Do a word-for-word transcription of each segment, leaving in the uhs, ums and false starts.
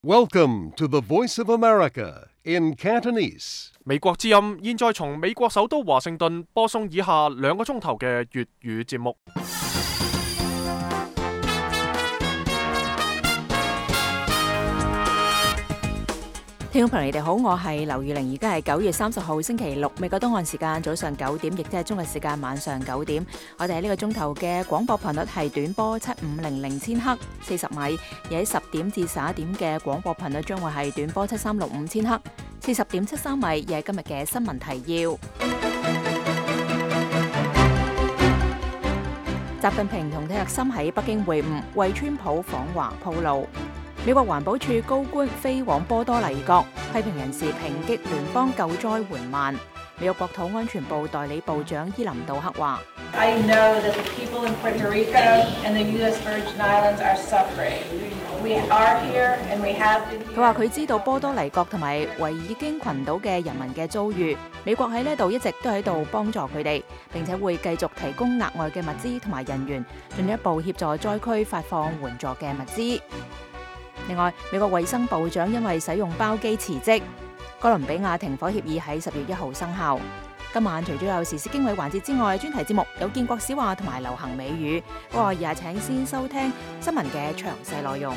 Welcome to the Voice of America in Cantonese. 美國之音現在從美國首都華盛頓播送以下兩個鐘頭嘅粵語節目。聽眾朋友，你哋好，我係劉玉玲，而家係九月三十號星期六，美國東岸時間早上九點，亦即係中國時間晚上九點。我哋喺呢個鐘頭嘅廣播頻率係短波七五零零千赫四十米，而喺十點至十一點嘅廣播頻率將會係短波七三六五千赫四十點七三米，而係今日嘅新聞提要。習近平同蒂勒森喺北京會晤，為川普訪華鋪路。美國環保署高官飛往波多黎各，批評人士抨擊聯邦救災緩慢。美國國土安全部代理部長伊林杜克話：佢話佢知道波多黎各同埋維爾京群島嘅人民嘅遭遇，美國喺呢度一直都喺度幫助佢哋，並且會繼續提供額外嘅物資同埋人員，進一步協助災區發放援助嘅物資。另外，美國衛生部長因為使用包機辭職。哥倫比亞停火協議喺十月一號生效。今晚除咗有時事經緯環節之外，專題節目有建國史話同埋流行美語。不過而家請先收聽新聞嘅詳細內容。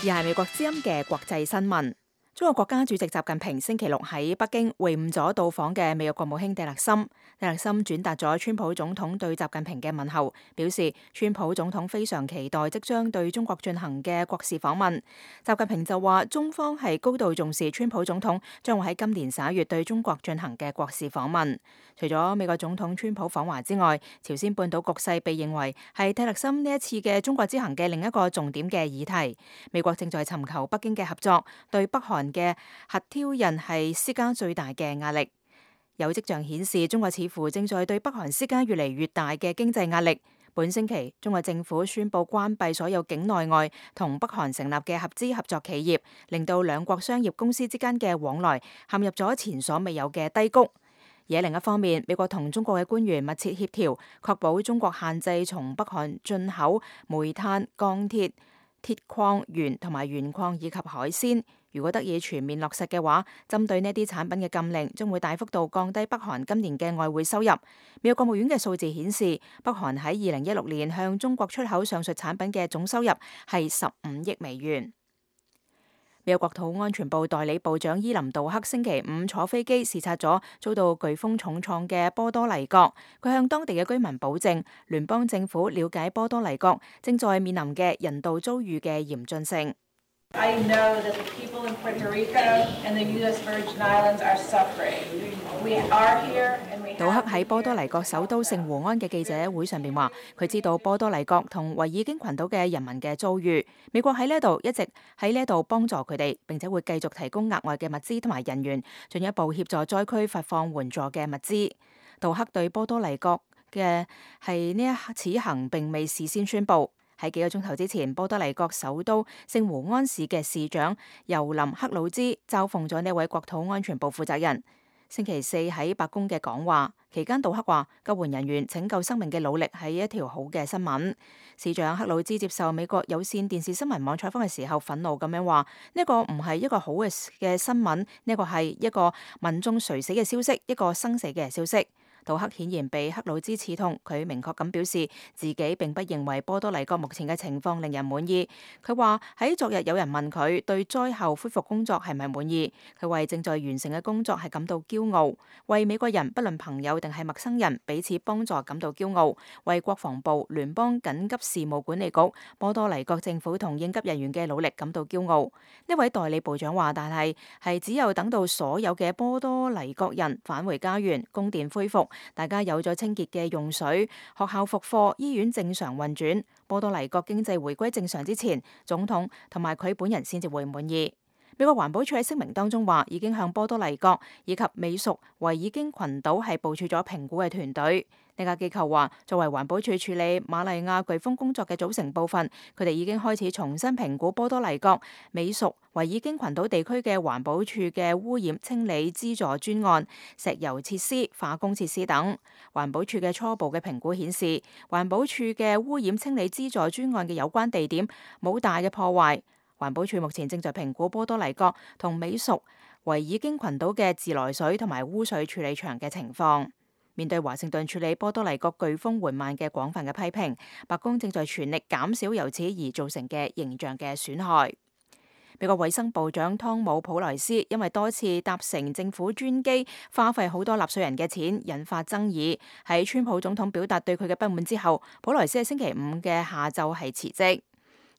而係美國之音嘅國際新聞。中國國家主席習近平星期六喺北京會晤咗到訪嘅美國國務卿蒂勒森。蒂勒森轉達咗川普總統對習近平嘅問候，表示川普總統非常期待即將對中國進行嘅國事訪問。習近平就話，中方係高度重視川普總統將會喺今年十一月對中國進行嘅國事訪問。除咗美國總統川普訪華之外，朝鮮半島局勢被認為係蒂勒森呢一次嘅中國之行嘅另一個重點嘅議題。美國正在尋求北京嘅合作，對北韓嘅核挑釁係施加最大嘅壓力。有跡象顯示，中國似乎正在對北韓施加越嚟越大嘅經濟壓力。本星期，中國政府宣布關閉所有境內外同北韓成立嘅合資合作企業，令到兩國商業公司之間嘅往來陷入咗前所未有嘅低谷。而喺另一方面，美國同中國嘅官員密切協調，確保中國限制從北韓進口煤炭、鋼鐵、鐵礦鉛同埋鉛礦以及海鮮。如果得以全面落實嘅話，針對呢啲產品嘅禁令將會大幅度降低北韓今年嘅外匯收入。美國國務院嘅數字顯示，北韓喺二零一六年向中國出口上述產品嘅總收入係十五億美元。美國國土安全部代理部長伊林杜克星期五坐飛機視察咗遭到颶風重創嘅波多黎各，佢向當地嘅居民保證，聯邦政府了解波多黎各正在面臨嘅人道遭遇嘅嚴峻性。I know that the people in Puerto Rico and the U S Virgin Islands are suffering. We are here and we have... 杜克喺波多黎各首都聖胡安嘅記者會上面話，佢知道波多黎各同維爾京群島嘅人民嘅遭遇，美國喺呢度一直喺呢度幫助佢哋，並且會繼續提供額外嘅物資同埋人員，進一步協助災區發放援助嘅物資。杜克對波多黎各嘅係呢一此行並未事先宣佈。喺幾個鐘頭之前，波多黎各首都聖胡安市嘅市長尤林克魯茲嘲諷咗呢位國土安全部負責人。星期四喺白宮嘅講話期間，杜克話救援人員拯救生命嘅努力係一條好嘅新聞。市長克魯茲接受美國有線電視新聞網採訪嘅時候，憤怒咁樣話：呢個唔係一個好嘅嘅新聞，呢個係一個民眾垂死嘅消息，一個生死嘅消息。杜克顯然被克魯茲刺痛，佢明確咁表示自己並不認為波多黎各目前嘅情況令人滿意。佢話喺昨日有人問佢對災後恢復工作係咪滿意，佢為正在完成嘅工作係感到驕傲，為美國人不論朋友定係陌生人彼此幫助感到驕傲，為國防部、聯邦緊急事務管理局、波多黎各政府同應急人員嘅努力感到驕傲。呢位代理部長話，但係係只有等到所有嘅波多黎各人返回家園，供電恢復，大家有咗清潔嘅用水，學校復課，醫院正常運轉，波多黎各經濟回歸正常之前，總統同埋佢本人先至會滿意。美國環保署喺聲明當中話，已經向波多黎各以及美屬維爾京群島係部署咗評估嘅團隊。呢家機構話，作為環保署處理瑪麗亞颶風工作嘅組成部分，佢哋已經開始重新評估波多黎各、美屬維爾京群島地區嘅環保署嘅污染清理資助專案、石油設施、化工設施等。環保署嘅初步嘅評估顯示，環保署嘅污染清理資助專案嘅有關地點冇大嘅破壞。環保署目前正在評估波多黎各同美屬維爾京群島嘅自來水同埋污水處理場嘅情況。面對華盛頓處理波多黎各颶風緩慢嘅廣泛嘅批評，白宮正在全力減少由此而造成嘅形象嘅損害。美國衛生部長湯姆普萊斯因為多次搭乘政府專機，花費好多納稅人嘅錢，引發爭議。喺川普總統表達對佢嘅不滿之後，普萊斯喺星期五嘅下晝係辭職。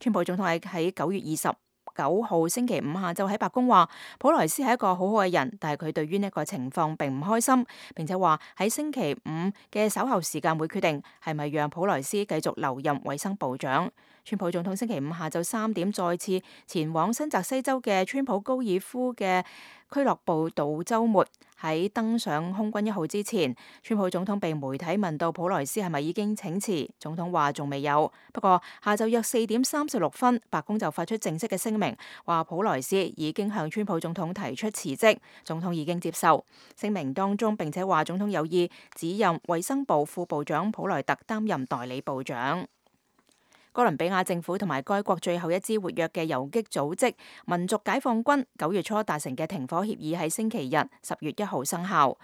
川普總統喺喺九月二十九號星期五下晝喺白宮話，普萊斯係一個好好嘅人，但係佢對於呢個情況並唔開心，並且話喺星期五嘅稍後時間會決定係咪讓普萊斯繼續留任衛生部長。川普總統星期五下晝三點再次前往新澤西州嘅川普高爾夫嘅俱樂部度週末。喺登上空軍一號之前，川普總統被媒體問到普萊斯係咪已經請辭，總統話仲未有。不過下晝約四點三十六分，白宮就發出正式嘅聲明，話普萊斯已經向川普總統提出辭職，總統已經接受。聲明當中並且話總統有意指任衛生部副部長普萊特擔任代理部長。哥倫比亞政府同埋該國最後一支活躍嘅游擊組織民族解放軍九月初達成嘅停火協議喺星期日十月一號生效。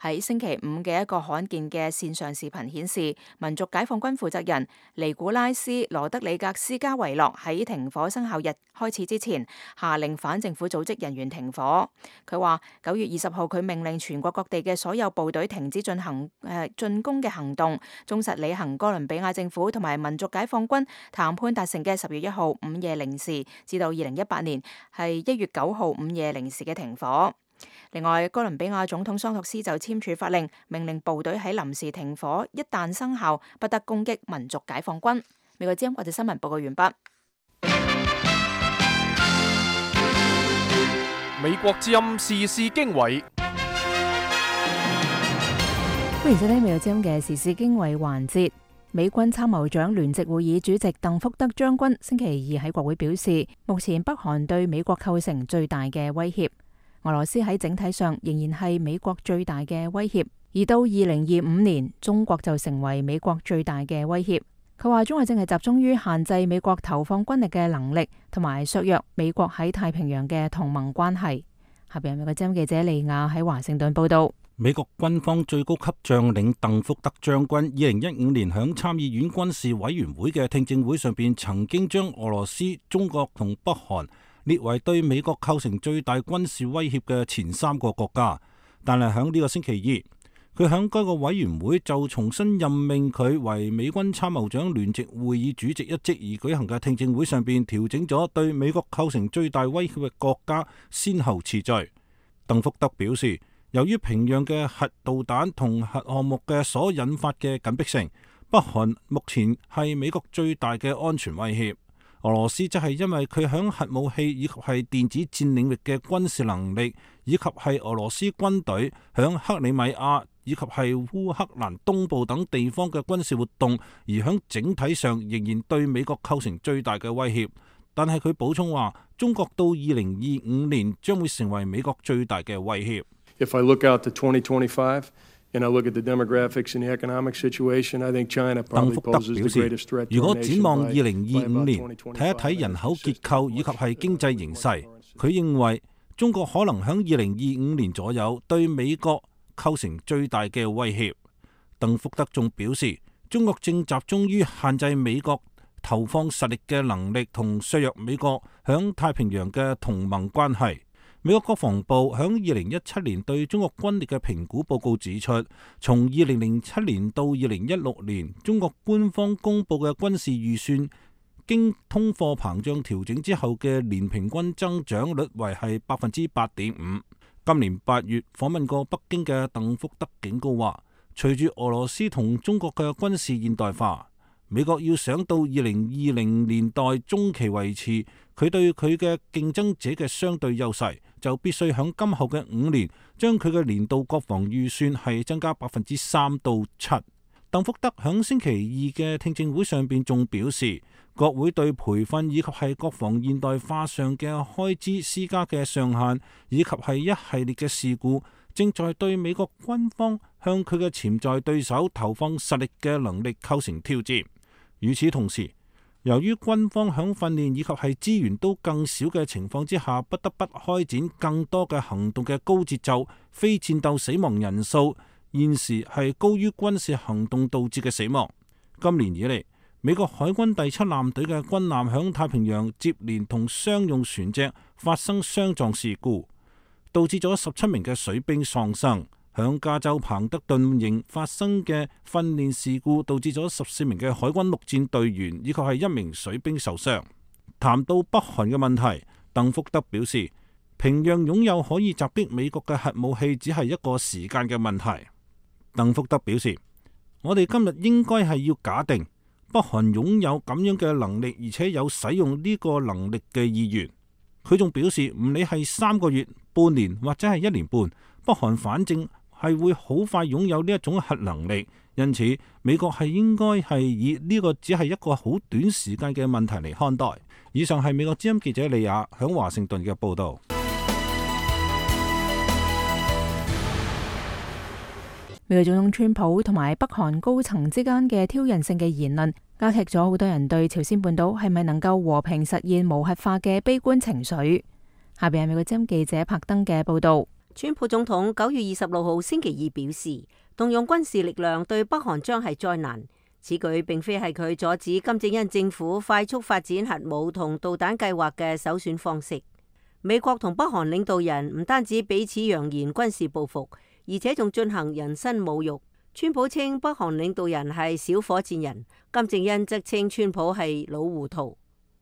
喺星期五嘅一個罕見嘅線上視頻顯示，民族解放軍負責人尼古拉斯羅德里格斯加維諾喺停火生效日開始之前，下令反政府組織人員停火。佢話九月二十號佢命令全國各地嘅所有部隊停止進行誒進攻嘅行動，忠實履行哥倫比亞政府同埋民族解放軍談判達成嘅十月一號午夜零時至到二零一八年係一月九號午夜零時嘅停火。另外，哥倫比亞總統桑托斯就簽署法令，命令部隊喺臨時停火一旦生效，不得攻擊民族解放軍。美國之音國際新聞報告完畢。美國之音時事經緯，歡迎收聽美國之音嘅時事經緯環節。美軍參謀長聯席會議主席鄧福德將軍星期二喺國會表示，目前北韓對美國構成最大嘅威脅。俄羅斯喺整體上仍然係美國最大嘅威脅，而到二零二五年，中國就成為美國最大嘅威脅。佢話中國正係集中於限制美國投放軍力嘅能力，同埋削弱美國喺太平洋嘅同盟關係。下邊美國之音記者利亞喺華盛頓報道。美國軍方最高級將領鄧福德將軍二零一五年響參議院軍事委員會嘅聽證會上邊，曾經將俄羅斯、中國同北韓列為對美國構成最大軍事威脅嘅前三個國家，但係響呢個星期二，佢響該個委員會就重新任命佢為美軍參謀長聯席會議主席一職而舉行嘅聽證會上邊，調整咗對美國構成最大威脅嘅國家先後次序。鄧福德表示，由於平壤嘅核導彈同核項目嘅所引發嘅緊迫性，北韓目前係美國最大嘅安全威脅。俄羅斯則係因為佢響核武器以及係電子戰領域嘅軍事能力，以及係俄羅斯軍隊響克里米亞以及係烏克蘭東部等地方嘅軍事活動，而響整體上仍然對美國構成最大嘅威脅。但係佢補充話，中國到二零二五年將會成為美國最大嘅威脅。If I look out to twenty twenty-five and I look at the demographics and the economic situation, I think China probably poses the greatest threat to our nation. 如果展望二零二五年，睇一睇人口結構以及係經濟形勢，佢認為中國可能響二零二五年左右對美國構成最大嘅威脅。鄧福德仲表示，中國正集中於限制美國投放實力嘅能力同削弱美國響太平洋嘅同盟關係。美國國防部響二零一七年對中國軍力嘅評估報告指出，從二零零七年到二零一六年，中國官方公布嘅軍事預算經通貨膨脹調整之後嘅年平均增長率為係百分之八點五。今年八月訪問過北京嘅鄧福德警告話，隨住俄羅斯同中國嘅軍事現代化，美國要想到二零二零年代中期維持佢對佢嘅競爭者嘅相對優勢，就必須喺今後嘅五年將佢嘅年度國防預算係增加百分之三到七。鄧福德喺星期二嘅聽證會上邊仲表示，國會對培訓以及係國防現代化上嘅開支施加嘅上限，以及係一系列嘅事故，正在對美國軍方向佢嘅潛在對手投放實力嘅能力構成挑戰。與此同時，由於軍方喺訓練以及係資源都更少嘅情況之下，不得不開展更多嘅行動嘅高節奏，非戰鬥死亡人數現時係高於軍事行動導致嘅死亡。今年以嚟，美國海軍第七艦隊嘅軍艦響太平洋接連同商用船隻發生相撞事故，導致咗十七名嘅水兵喪生。響加州彭德頓營發生嘅訓練事故，導致咗十四名嘅海軍陸戰隊員以及係一名水兵受傷。談到北韓嘅問題，鄧福德表示，平壤擁有可以襲擊美國嘅核武器，只係一個時間嘅問題。鄧福德表示，我哋今日應該係要假定北韓擁有咁樣嘅能力，而且有使用呢個能力嘅意願。佢仲表示，唔理係三個月、半年或者係一年半，北韓反正係會好快擁有呢一種核能力，因此美國係應該係以呢個只係一個好短時間嘅問題嚟看待。以上係美國之音記者李亞響華盛頓嘅報道。美國總統川普同埋北韓高層之間嘅挑釁性嘅言論，加劇咗好多人對朝鮮半島係咪能夠和平實現無核化嘅悲觀情緒。下邊係美國之音記者柏登嘅報道。川普總統九月二十六號星期二表示，動用軍事力量對北韓將係災難。此舉並非係佢阻止金正恩政府快速發展核武同導彈計劃嘅首選方式。美國同北韓領導人唔單止彼此揚言軍事報復，而且仲進行人身侮辱。川普稱北韓領導人係小火箭人，金正恩則稱川普係老糊塗。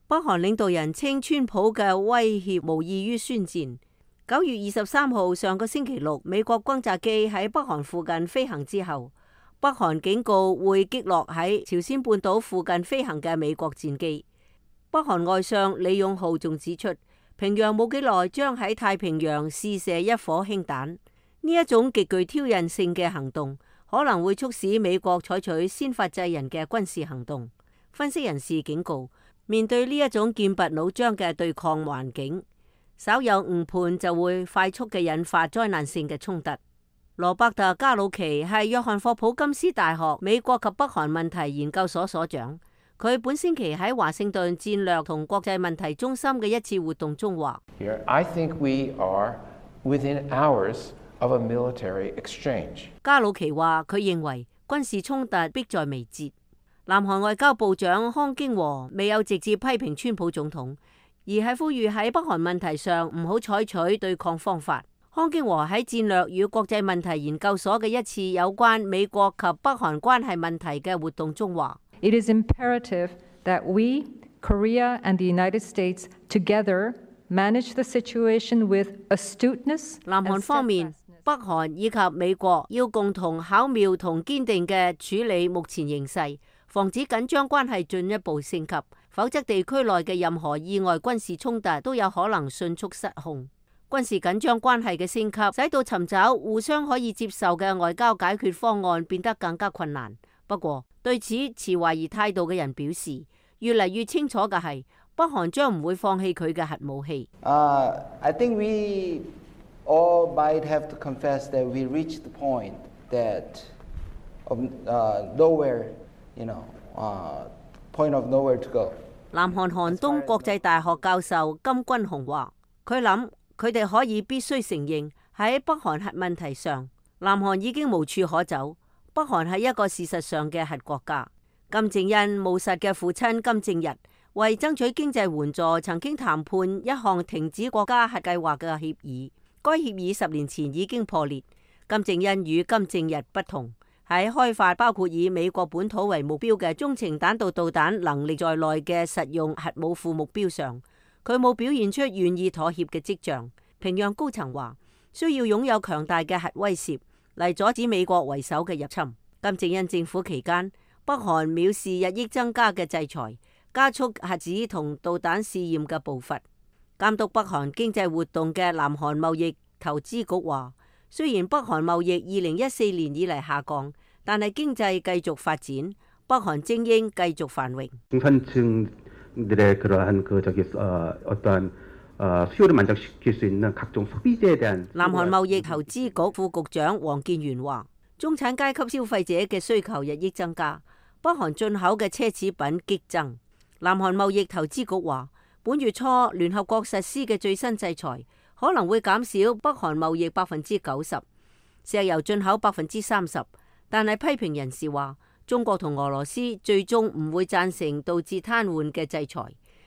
北韓領導人稱川普嘅威脅無異於宣戰。九月二十三號上個星期六，美國轟炸機喺北韓附近飛行之後，北韓警告會擊落喺朝鮮半島附近飛行嘅美國戰機。北韓外相李勇浩仲指出，平壤冇幾耐將喺太平洋試射一顆氫彈。呢一種極具挑釁性嘅行動，可能會促使美國採取先發制人嘅軍事行動。分析人士警告，面對呢一種劍拔弩張嘅對抗環境，稍有誤判就會快速嘅引發災難性嘅衝突。羅伯特加魯奇係約翰霍普金斯大學美國及北韓問題研究所所長，佢本星期喺華盛頓戰略同國際問題中心嘅一次活動中話：Here, I think we are within hours of a military exchange. 加魯奇話佢認為軍事衝突迫在眉睫。南韓外交部長康京和未有直接批評川普總統，而係呼籲喺北韓問題上唔好採取對抗方法。康京和喺戰略與國際問題研究所嘅一次有關美國及北韓關係問題嘅活動中話：It is imperative that we, Korea and the United States together manage the situation with astuteness. 南韓方面，北韓以及美國要共同巧妙同堅定嘅處理目前形勢，防止緊張關係進一步升級，否則地區內嘅任何意外軍事衝突都有可能迅速失控。軍事緊張關係嘅升級，使到尋找互相可以接受嘅外交解決方案變得更加困難。不過，對此持懷疑態度嘅人表示，越嚟越清楚嘅係，北韓將唔會放棄佢嘅核武器。Uh, I think we all might have to confess that we reached the point that of uh, nowhere, you know, uh, point of nowhere to go. 南韓韓東國際大學教授金君雄話：佢諗佢哋可以必須承認喺北韓核問題上，南韓已經無處可走。北韓係一個事實上嘅核國家。金正恩務實嘅父親金正日為爭取經濟援助，曾經談判一項停止國家核計劃嘅協議。該協議十年前已經破裂。金正恩與金正日不同，喺開發包括以美國本土為目標嘅中程彈道導彈能力在內嘅實用核武庫目標上，佢冇表現出願意妥協嘅跡象。平壤高層話需要擁有強大嘅核威懾嚟阻止美國為首嘅入侵。金正恩政府期間，北北韓藐視日益增加嘅制裁，加速核子同導彈試驗嘅步伐。監督北韓經濟活動嘅南韓貿易投資局話，雖然北韓貿易二零一四年以嚟下降，但係經濟繼續發展，北韓精英繼續繁榮。南韓貿易投資局副局長黃建元話，中產階級消費者嘅需求日益增加，北韓進口嘅奢侈品激增。南韓貿易投資局話，本月初聯合國實施嘅最新制裁可能會減少北韓貿易百分之九十，石油進口百分之三十。但係批評人士話，中國同俄羅斯最終唔會贊成導致癱瘓嘅制裁。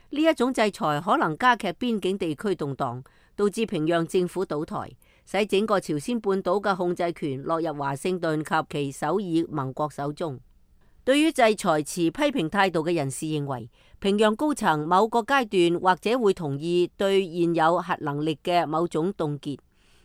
呢一種制裁可能加劇邊境地區動盪，導致平壤政府倒台，使整個朝鮮半島嘅控制權落入華盛頓及其首爾盟國手中。對於制裁持批評態度嘅人士認為，平壤高層某個階段或者會同意對現有核能力嘅某種凍結，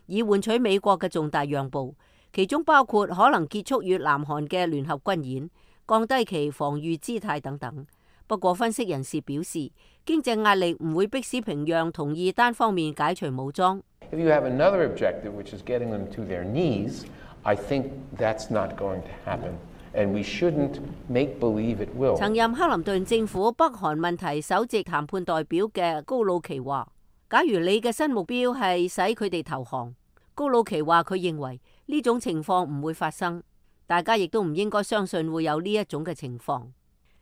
以換取美國嘅重大讓步，其中包括可能結束與南韓嘅聯合軍演，降低其防禦姿態等等。不過分析人士表示，經濟壓力唔會迫使平壤同意單方面解除武裝。If you have another objective, which is getting them to their knees, I think that's not going to happen, and we shouldn't make believe it will. 曾任克林頓政府北韓問題首席談判代表嘅高魯奇話，假如你嘅新目標係使佢哋投降，高魯奇話佢認為呢種情況唔會發生，大家亦都唔應該相信會有呢一種嘅情況。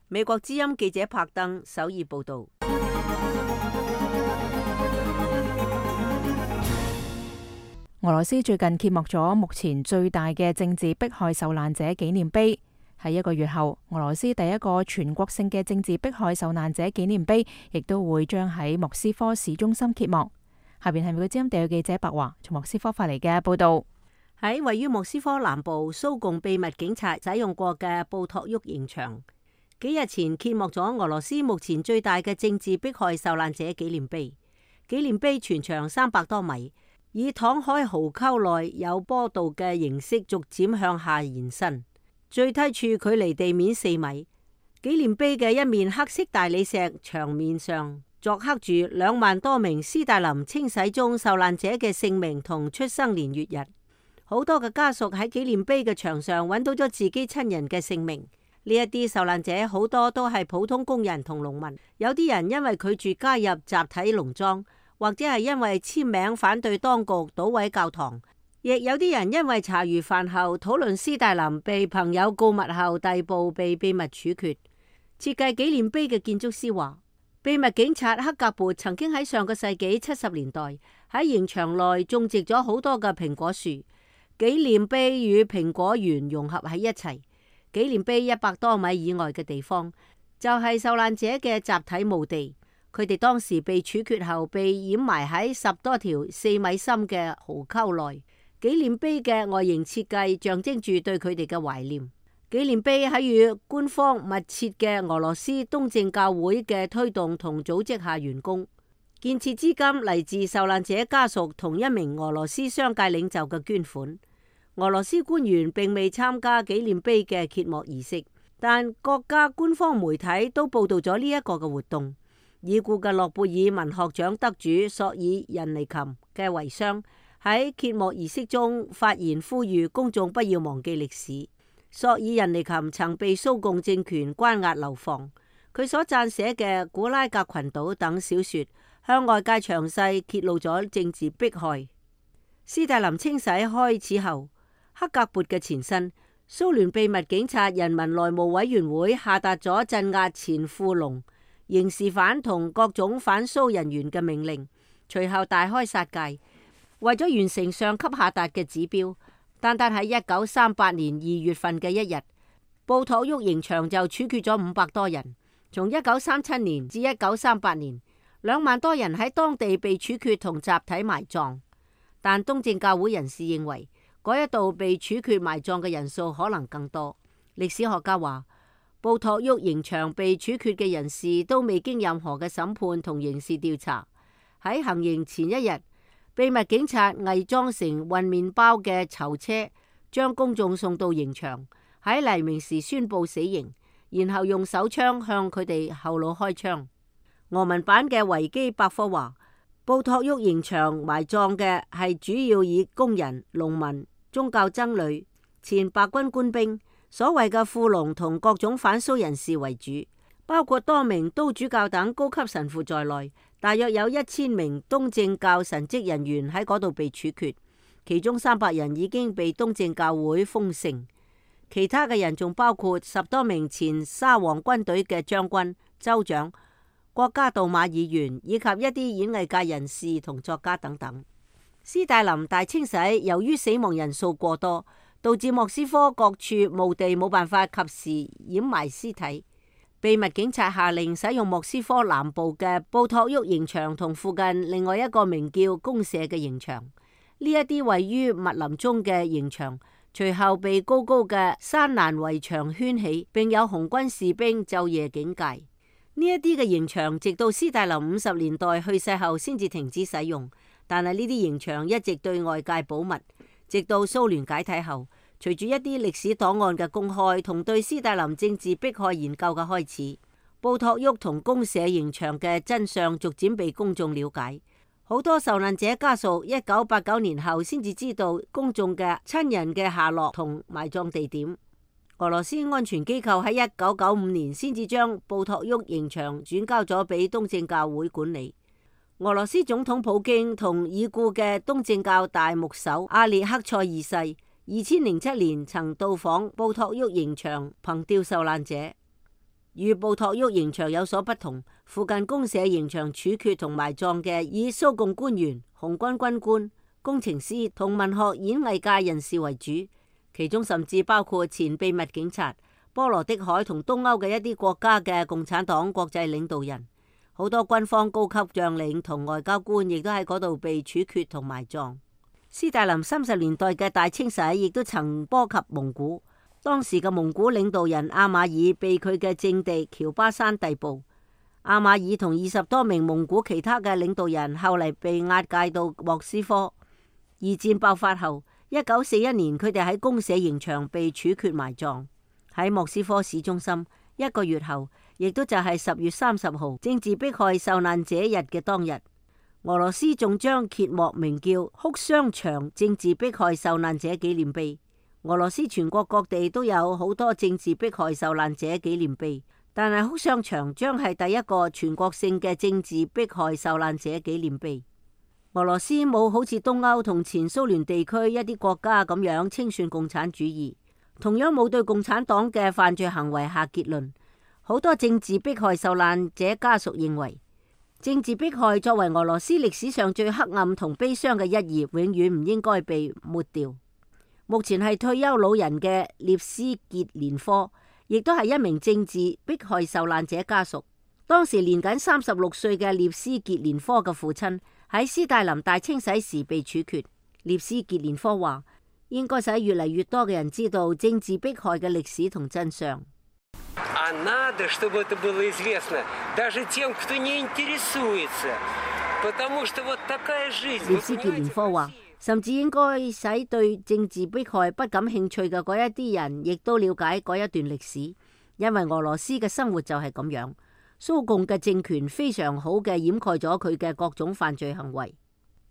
美國之音記者柏登首爾報道。俄羅斯最近揭幕咗目前最大嘅政治迫害受難者紀念碑。喺一個月後，俄羅斯第一個全國性嘅政治迫害受難者紀念碑亦都會將喺莫斯科市中心揭幕。下邊係美國之音地區記者白華從莫斯科發嚟嘅報道。喺位於莫斯科南部蘇共秘密警察使用過嘅布托沃刑場，幾日前揭幕咗俄羅斯目前最大嘅政治迫害受難者紀念碑。紀念碑全長三百多米，以躺喺壕溝內有坡道嘅形式逐漸向下延伸，最低處距離地面四米。紀念碑嘅一面黑色大理石牆面上鑿刻住兩萬多名斯大林清洗中受難者嘅姓名同出生年月日。好多嘅家屬喺紀念碑嘅牆上揾到咗自己親人嘅姓名。呢一啲受難者好多都係普通工人同農民，有啲人因為拒絕加入集體農莊，或者係因為簽名反對當局搗毀教堂，亦有啲人因為茶餘飯後討論斯大林被朋友告密後逮捕被秘密處決。設計紀念碑嘅建築師話，秘密警察克格勃曾經喺上個世紀七十年代喺刑場內種植咗好多嘅蘋果樹，紀念碑與蘋果園融合喺一齊。紀念碑一百多米以外嘅地方就係受難者嘅集體墓地，佢哋當時被處決後被掩埋喺十多條四米深嘅壕溝內。紀念碑嘅外形設計象徵住對佢哋嘅懷念。紀念碑喺與官方密切嘅俄羅斯東正教會嘅推動同組織下完工，建設資金嚟自受難者家屬同一名俄羅斯商界領袖嘅捐款。俄羅斯官員並未參加紀念碑嘅揭幕儀式，但國家官方媒體都報道咗呢一個嘅活動。已故嘅諾貝爾文學獎得主索爾仁尼琴嘅遺孀喺揭幕儀式中發言，呼籲公眾不要忘記歷史。索爾仁尼琴曾被蘇共政權關押流放，佢所撰寫嘅《古拉格群島》等小說向外界詳細揭露咗政治迫害。斯大林清洗開始後，克格勃嘅前身蘇聯秘密警察人民內務委員會下達咗鎮壓前富農、刑事犯同各種反蘇人員嘅命令，隨後大開殺戒。為咗完成上級下達嘅指標，單單喺一九三八年二月份嘅一日，布托沃刑場就處決咗五百多人。從一九三七年至一九三八年，兩萬多人喺當地被處決同集體埋葬。但東正教會人士認為，嗰一度被處決埋葬嘅人數可能更多。歷史學家話，布托沃刑場被處決嘅人士都未經任何嘅審判同刑事調查。喺行刑前一日，秘密警察偽裝成運麵包嘅囚車，將公眾送到刑場，喺黎明時宣布死刑。然後用手槍向佢哋後腦開槍。俄文版嘅維基百科話，布托沃刑場埋葬嘅係主要以工人、農民、宗教僧侶、前白軍官兵、所謂嘅富農同各種反蘇人士為主，包括多名都主教等高級神父在內，大約有一千名東正教神職人員喺嗰度被處決，其中三百人已經被東正教會封聖，其他嘅人仲包括十多名前沙皇軍隊嘅將軍、州長、國家杜馬議員以及一啲演藝界人士同作家等等。斯大林大清洗由於死亡人數過多，導致莫斯科各處墓地冇辦法及時掩埋屍體。秘密警察下令使用莫斯科南部嘅布托沃刑場同附近另外一個名叫公社嘅刑場。呢一啲位於密林中嘅刑場，隨後被高高嘅山欄圍牆圈起，並有紅軍士兵晝夜警戒。呢一啲嘅刑場直到斯大林五十年代去世後先至停止使用，但係呢啲刑場一直對外界保密，直到蘇聯解體後，隨住一啲歷史檔案嘅公開同對斯大林政治迫害研究嘅開始，布托沃同公社刑場嘅真相逐漸被公眾了解。好多受難者家屬一九八九年後先至知道公眾嘅親人嘅下落同埋葬地點。俄羅斯安全機構喺一九九五年先至將布托沃刑場轉交咗俾東正教會管理。俄羅斯總統普京同已故嘅東正教大牧首阿列克塞二世，二千零七年曾到訪布托沃刑場憑吊受難者。與布托沃刑場有所不同，附近公社刑場處決同埋葬嘅以蘇共官員、紅軍軍官、工程師同文學演藝界人士為主。其中甚至包括前秘密警察、波羅的海同東歐嘅一啲國家嘅共產黨國際領導人，好多軍方高級將領同外交官亦都喺嗰度被處決同埋葬。斯大林三十年代嘅大清洗亦都曾波及蒙古，當時嘅蒙古領導人阿馬爾被佢嘅政敵喬巴山逮捕。阿馬爾同二十多名蒙古其他嘅領導人後嚟被押解到莫斯科。二戰爆發後，一九四一年，佢哋喺公社刑場被處決埋葬。喺莫斯科市中心，一個月後，亦都就係十月三十號政治迫害受難者日嘅當日，俄羅斯仲將揭幕名叫哭雙牆政治迫害受難者紀念碑。俄羅斯全國各地都有好多政治迫害受難者紀念碑，但係哭雙牆將係第一個全國性嘅政治迫害受難者紀念碑。俄羅斯冇好似東歐同前蘇聯地區一啲國家咁樣清算共產主義，同樣冇對共產黨嘅犯罪行為下結論。好多政治迫害受難者家屬認為，政治迫害作為俄羅斯歷史上最黑暗同悲傷嘅一頁，永遠唔應該被抹掉。目前係退休老人嘅列斯傑連科，亦都係一名政治迫害受難者家屬。當時年僅三十六歲嘅列斯傑連科嘅父親喺斯大林大清洗時被處決。列斯傑連科話：應該使越嚟越多嘅人知道政治迫害嘅歷史同真相。列斯傑連科話，甚至應該使對政治迫害不感興趣嘅嗰一啲人，亦都了解嗰一段歷史，因為俄羅斯嘅生活就係咁樣。蘇共嘅政權非常好嘅掩蓋咗佢嘅各種犯罪行為。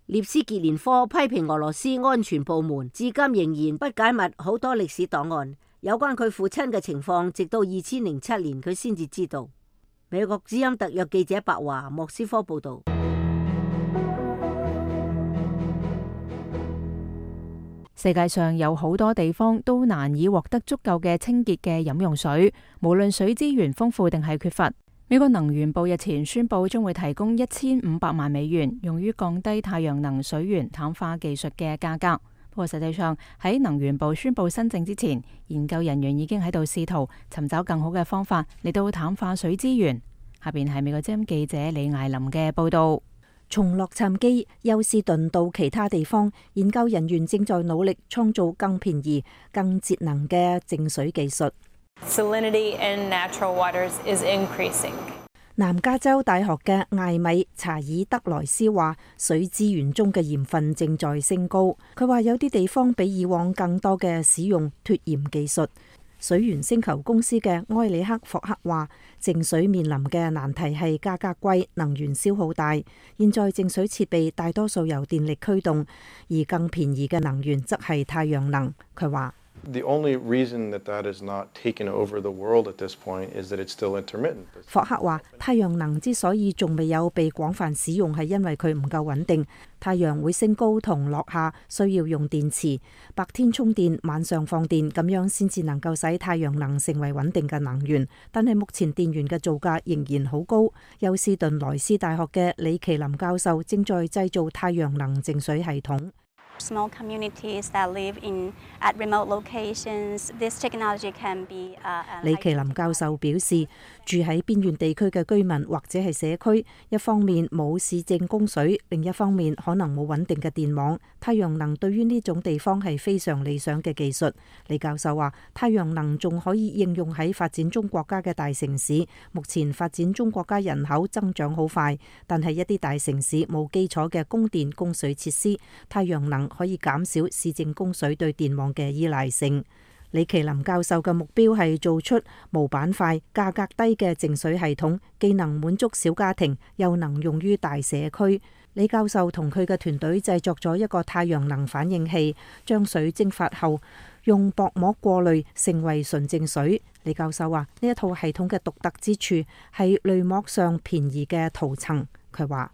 列斯傑連科批評俄羅斯安全部門至今仍然不解密好多歷史檔案，有關佢父親嘅情況，直到二千零七年佢先至知道。美國之音特約記者白華莫斯科報道。世界上有好多地方都難以獲得足夠嘅清潔嘅飲用水，無論水資源豐富定係缺乏。美國能源部日前宣布將會提供一千五百萬美元，用於降低太陽能水源淡化技術嘅價格。不過實際上喺能源部宣布新政之前，研究人員已經喺度試圖尋找更好嘅方法嚟到淡化水資源。下邊係美國之音記者李艾琳嘅報道。從洛杉磯、休斯頓到其他地方，研究人員正在努力創造更便宜、更節能嘅淨水技術。Salinity in natural waters is increasing. 南加州大學嘅艾米查爾德萊斯話，水資源中嘅鹽分正在升高。佢話有啲地方比以往更多嘅使用脫鹽技術。水源星球公司嘅埃里克霍克話，淨水面臨嘅難題係價格貴、能源消耗大。現在淨水設備大多數由電力驅動，而更便宜嘅能源則係太陽能。佢話The only reason that that is not taken over the world at this point is that it's still intermittent. 霍克話，太陽能之所以仲未有被廣泛使用，係因為佢唔夠穩定。太陽會升高同落下，需要用電池，白天充電，晚上放電，咁樣先至能夠使太陽能成為穩定嘅能源。但係目前電源嘅造價仍然好高。休斯頓萊斯大學嘅李奇林教授正在製造太陽能淨水系統。Small communities that live in at remote locations, this technology can be. 李奇林教授表示，住喺邊緣地區嘅居民或者係社區，一方面冇市政供水，另一方面可能冇穩定嘅電網。太陽能對於呢種地方係非常理想嘅技術。李教授話，太陽能仲可以應用喺發展中國家嘅大城市。目前發展中國家人口增長好快，但係一啲大城市冇基礎嘅供電供水設施，太陽能可以減少市政供水對電網嘅依賴性。李奇林教授嘅目標係做出無板塊、價格低嘅淨水系統，既能滿足小家庭，又能用於大社區。李教授同佢嘅團隊製作咗一個太陽能反應器，將水蒸發後用薄膜過濾，成為純淨水。李教授話，呢一套系統嘅獨特之處係濾膜上便宜嘅塗層。佢話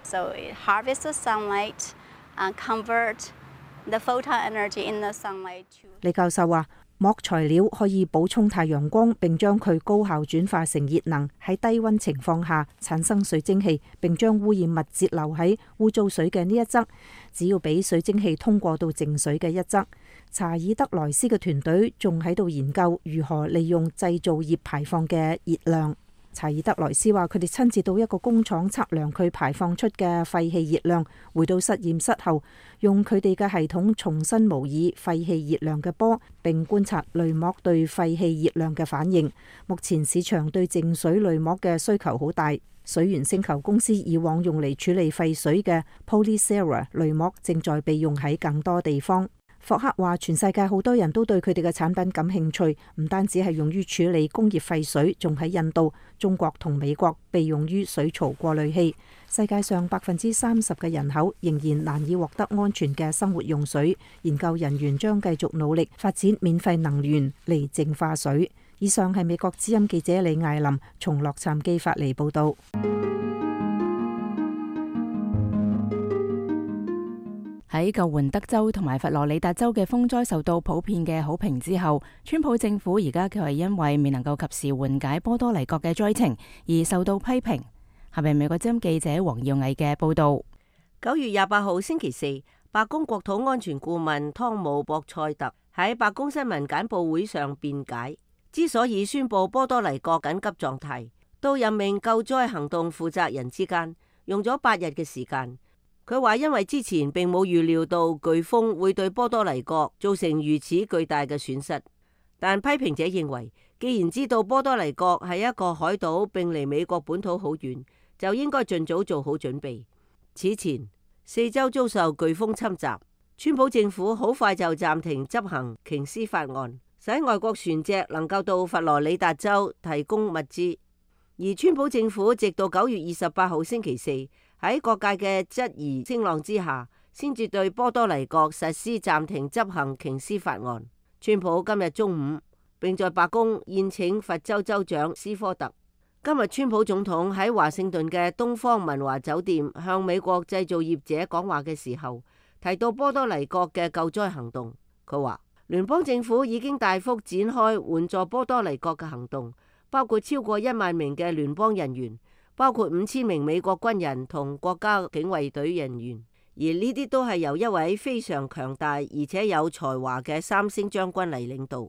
So it harvests the sunlight and convert the photon energy in the sunlight to. 李教授話，膜材料可以補充太陽光，並將佢高效轉化成熱能，喺低溫情況下產生水蒸氣，並將污染物截留喺污糟水嘅呢一側，只要俾水蒸氣通過到淨水嘅一側。查爾德萊斯嘅團隊仲喺度研究如何利用製造業排放嘅熱量。查爾德萊斯話，佢哋親自到一個工廠測量佢排放出嘅廢氣熱量，回到實驗室後，用佢哋嘅系統重新模擬廢氣熱量嘅波，並觀察濾膜對廢氣熱量嘅反應。目前市場對淨水濾膜嘅需求好大，水源星球公司以往用嚟處理廢水嘅 Polycera 濾膜正在被用喺更多地方。霍克話，全世界好多人都對佢哋嘅產品感興趣，唔單止係用於處理工業廢水，仲喺印度、中國同美國被用於水槽過濾器。世界上百分之三十嘅人口仍然難以獲得安全嘅生活用水。研究人員將繼續努力發展免費能源嚟淨化水。以上係美國之音記者李艾琳從洛杉磯發嚟報道。喺救援德州同埋佛羅里達州嘅風災受到普遍嘅好評之後，川普政府而家卻係因為未能夠及時緩解波多黎各嘅災情而受到批評。係咪美國之音記者黃耀毅嘅報道？九月廿八號星期四，白宮國土安全顧問湯姆博塞特喺白宮新聞簡報會上辯解，之所以宣布波多黎各緊急狀態，到任命救災行動負責人之間用咗八日嘅時間。佢話因為之前並冇預料到颶風會對波多黎各造成如此巨大嘅損失，但批評者認為，既然知道波多黎各係一個海島並離美國本土好遠，就應該盡早做好準備。此前四州遭受颶風侵襲，川普政府好快就暫停執行瓊斯法案，使外國船隻能夠到佛羅里達州提供物資，而川普政府直到九月二十八號星期四，喺各界嘅質疑聲浪之下，先至對波多黎各實施暫停執行瓊斯法案。川普今日中午並在白宮宴請佛州州長斯科特。今日川普總統喺華盛頓嘅東方文華酒店向美國製造業者講話嘅時候，提到波多黎各嘅救災行動。佢話聯邦政府已經大幅展開援助波多黎各嘅行動，包括超過一萬名嘅聯邦人員，包括五千名美國軍人同國家警衛隊人員，而呢啲都係由一位非常強大而且有才華嘅三星將軍嚟領導。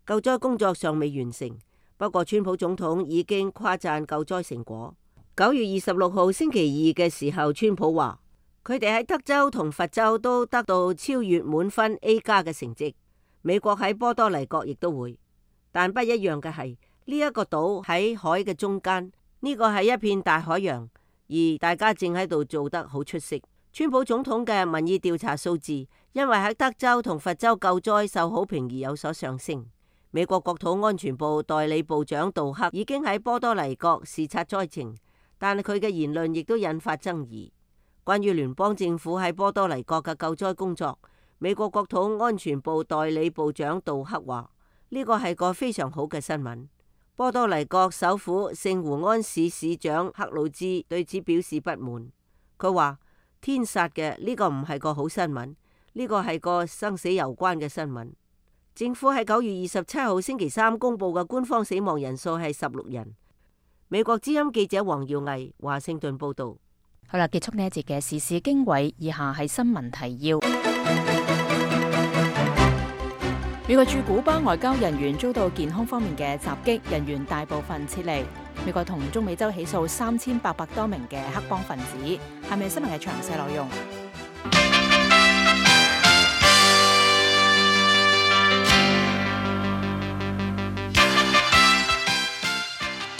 救災工作尚未完成，不過川普總統已經誇讚救災成果。九月二十六號星期二嘅時候，川普話佢哋喺德州同佛州都得到超越滿分 A 加嘅成績，美國喺波多黎各亦都會，但不一樣嘅係呢一個島喺海嘅中間。呢個係一片大海洋，而大家正喺度做得好出色。川普總統嘅民意調查數字因為喺德州同佛州救災受好評而有所上升。美國國土安全部代理部長杜克已經喺波多黎各視察災情，但係佢嘅言論亦都引發爭議。關於聯邦政府喺波多黎各嘅救災工作，美國國土安全部代理部長杜克話：呢個係個非常好嘅新聞。波多黎各首府聖胡安市市長克魯茲對此表示不滿。佢話：天殺嘅，呢個唔係個好新聞，呢個係個生死攸關嘅新聞。政府喺九月二十七號星期三公布嘅官方死亡人數係十六人。美國之音記者黃耀毅華盛頓報道。好啦，結束呢一節嘅時事經緯，以下係新聞提要。美國駐古巴外交人員遭到健康方面嘅襲擊，人員大部分撤離。美國同中美洲起訴三千八百多名嘅黑幫分子。下面新聞嘅詳細內容。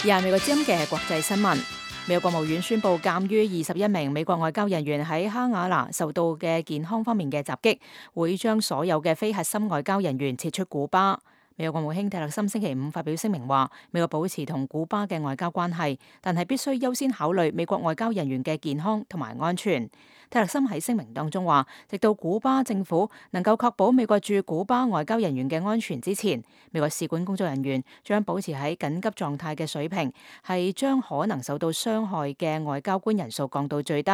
以下美國之音嘅國際新聞。美國國務院宣布，鑑於二十一名美國外交人員喺哈瓦那受到嘅健康方面嘅襲擊，會將所有嘅非核心外交人員撤出古巴。美國國務卿蒂勒森星期五發表聲明話，美國保持同古巴嘅外交關係，但係必須優先考慮美國外交人員嘅健康同埋安全。蒂勒森喺聲明當中話，直到古巴政府能夠確保美國駐古巴外交人員嘅安全之前，美國使館工作人員將保持喺緊急狀態嘅水平，係將可能受到傷害嘅外交官人數降到最低。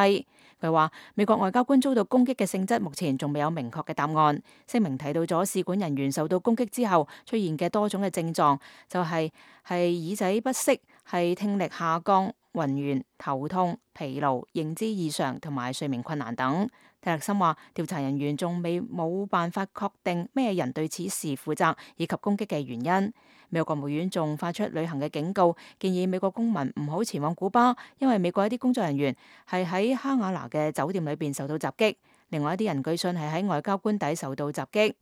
佢話，美國外交官遭到攻擊嘅性質目前仲未有明確嘅答案。聲明提到咗使館人員受到攻擊之後出現嘅多種嘅症狀，就係、是、係耳仔不適，係聽力下降、暈眩、頭痛、疲勞、認知異常同埋睡眠困難等。蒂勒森話，調查人員仲未冇辦法確定咩人對此事負責以及攻擊嘅原因。美國國務院仲發出旅行嘅警告，建議美國公民唔好前往古巴，因為美國一啲工作人員係喺哈瓦那嘅酒店裏邊受到襲擊，另外一啲人據信係喺外交官邸受到襲擊。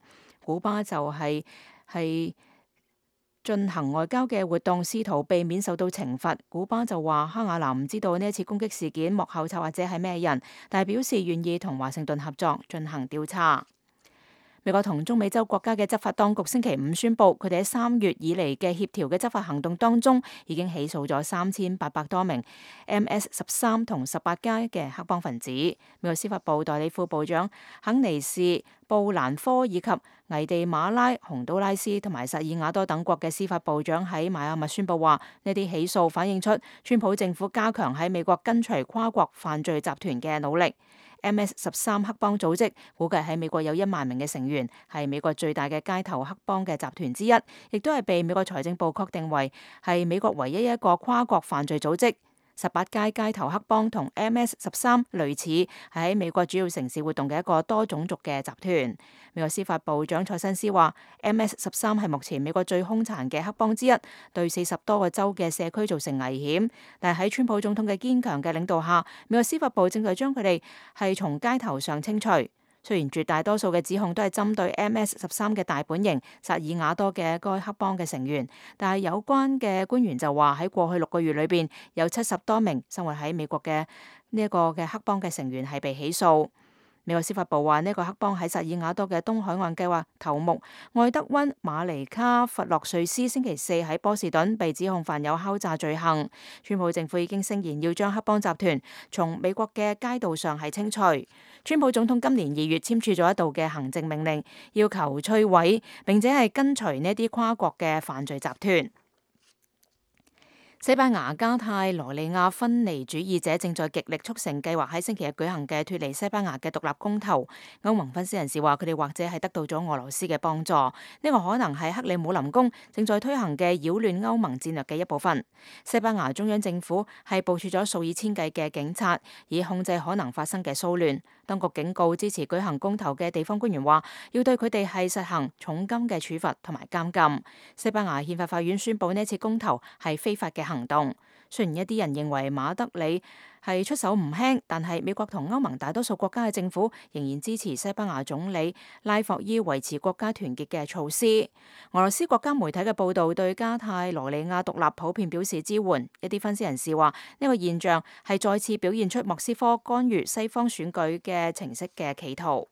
古巴就係、是、係進行外交嘅活動，試圖避免受到懲罰。古巴就話哈瓦那唔知道呢一次攻擊事件幕後策劃者係咩人，但係表示願意同華盛頓合作進行調查。美國同中美洲國家嘅執法當局星期五宣布，佢哋喺三月以嚟嘅協調嘅執法行動當中，已經起訴咗三千八百多名 M S 十三同十八加嘅黑幫分子。美國司法部代理副部長肯尼士布蘭科以及危地馬拉、洪都拉斯同埋薩爾瓦多等國嘅司法部長喺邁阿密宣布話，呢啲起訴反映出川普政府加強喺美國根除跨國犯罪集團嘅努力。M S 十三黑幫組織估計喺美國有一萬名嘅成員，係美國最大嘅街頭黑幫嘅集團之一，亦都係被美國財政部確定為係美國唯一一個跨國犯罪組織。十八街街頭黑幫同 M S 十三類似，係喺美國主要城市活動嘅一個多種族嘅集團。美國司法部長塞申斯話 M S 十三係目前美國最兇殘嘅黑幫之一，對四十多個州嘅社區造成危險。但係喺川普總統嘅堅強嘅領導下，美國司法部正在將佢哋係從街頭上清除。雖然絕大多數嘅指控都係針對 M S 十三嘅大本營薩爾瓦多嘅該黑幫嘅成員，但係有關嘅官員就話喺過去六個月裏邊有七十多名生活喺美國嘅呢一個嘅黑幫嘅成員係被起訴。美國司法部話呢個黑幫喺薩爾瓦多嘅東海岸計劃頭目愛德溫馬尼卡弗洛瑞斯星期四喺波士頓被指控犯有敲詐罪行。川普政府已經聲言要將黑幫集團從美國嘅街道上係清除。川普總統今年二月簽署咗一道嘅行政命令，要求摧毀並且係根除呢啲跨國嘅犯罪集團。西班牙加泰羅尼亞分離主義者正在極力促成計劃喺星期日舉行嘅脫離西班牙嘅獨立公投。歐盟分析人士話，佢哋或者係得到咗俄羅斯嘅幫助，呢個可能係克里姆林宮正在推行嘅擾亂歐盟戰略嘅一部分。西班牙中央政府係部署咗數以千計嘅警察，以控制可能發生嘅騷亂。當局警告支持舉行公投嘅地方官員話，要對佢哋係實行重金嘅處罰同埋監禁。西班牙憲法法院宣布呢次公投係非法嘅行動。雖然一啲人認為馬德里係出手唔輕，但係美國同歐盟大多數國家嘅政府仍然支持西班牙總理拉霍伊維持國家團結嘅措施。俄羅斯國家媒體嘅報道對加泰羅尼亞獨立普遍表示支援。一啲分析人士話，呢個現象係再次表現出莫斯科干預西方選舉嘅程式嘅企圖。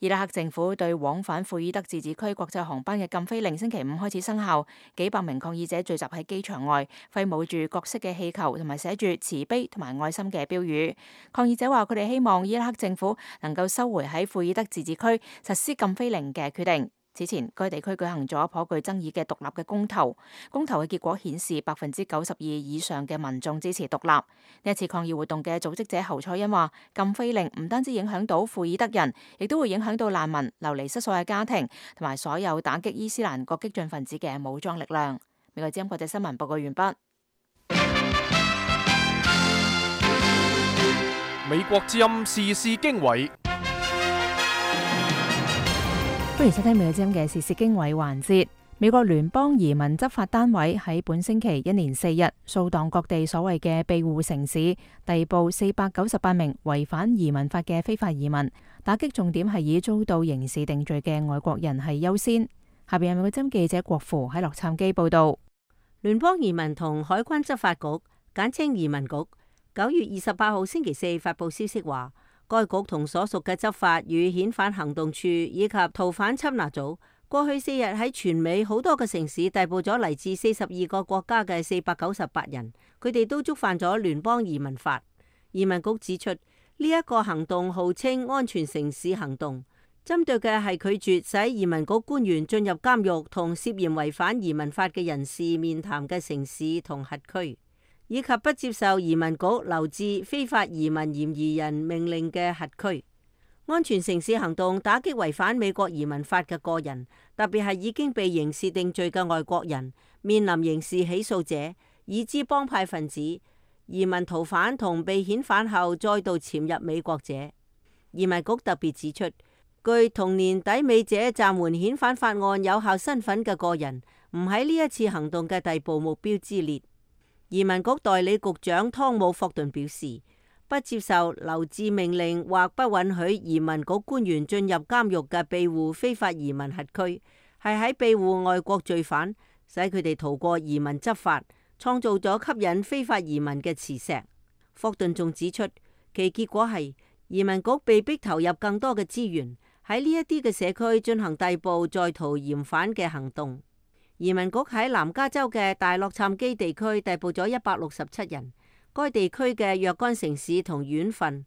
伊拉克政府對往返庫爾德自治區國際航班嘅禁飛令星期五開始生效，幾百名抗議者聚集喺機場外，揮舞住各式嘅氣球同埋寫住慈悲同埋愛心嘅標語。抗議者話佢哋希望伊拉克政府能夠收回喺庫爾德自治區實施禁飛令嘅決定。此前，該地區舉行咗頗具爭議嘅獨立嘅公投，公投嘅結果顯示百分之九十二以上嘅民眾支持獨立。呢一次抗議活動嘅組織者侯賽因話，禁飛令唔單止影響到庫爾德人，亦都會影響到難民、流離失所嘅家庭，同埋所有打擊伊斯蘭國激進分子嘅武裝力量。美國之音國際新聞報告完畢。美國之音時事經緯。歡迎收聽美國之音嘅時事經緯環節。美國聯邦移民執法單位喺本星期一連四日掃蕩各地所謂嘅庇護城市，逮捕四百九十八名違反移民法嘅非法移民，打擊重點係以遭到刑事定罪嘅外國人係優先。下邊係美國之音記者郭芙喺洛杉磯報道。聯邦移民同海關執法局，簡稱移民局，九月二十八號星期四發佈消息話，該局同所屬嘅執法與遣返行動處以及逃犯緝拿組，過去四日喺全美好多個城市逮捕咗嚟自四十二個國家嘅四百九十八人，佢哋都觸犯咗聯邦移民法。移民局指出，呢一個行動號稱安全城市行動，針對嘅係拒絕使移民局官員進入監獄同涉嫌違反移民法嘅人士面談嘅城市同轄區，以及不接受移民局留置非法移民嫌疑人命令嘅轄區。安全城市行動打擊違反美國移民法嘅個人，特別係已經被刑事定罪嘅外國人、面臨刑事起訴者、已知幫派分子、移民逃犯同被遣返後再度潛入美國者。移民局特別指出，據同年底美者暫緩遣返法案有效身份嘅個人，唔喺呢一次行動嘅逮捕目標之列。移民局代理局長湯姆霍頓表示，不接受留置命令或不允許移民局官員進入監獄嘅庇護非法移民轄區，係喺庇護外國罪犯，使佢哋逃過移民執法，創造咗吸引非法移民嘅磁石。霍頓仲指出，其結果係移民局被逼投入更多嘅資源喺呢一啲嘅社區進行逮捕在逃嫌犯嘅行動。移民局喺南加州嘅大洛杉磯地區逮捕咗一百六十七人，該地區嘅若干城市同縣份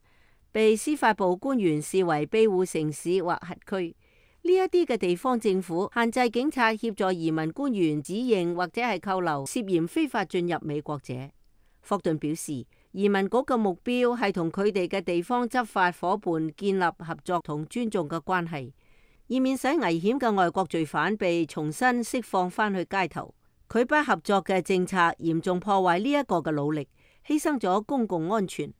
被司法部官員視為庇護城市或轄區。呢一啲嘅地方政府限制警察協助移民官員指認或者係扣留涉嫌非法進入美國者。霍頓表示，移民局嘅目標係同佢哋嘅地方執法夥伴建立合作同尊重嘅關係，以免使危險嘅外國罪犯被重新釋放返去街頭。佢不合作嘅政策嚴重破壞呢一個嘅努力，犧牲咗公共安全。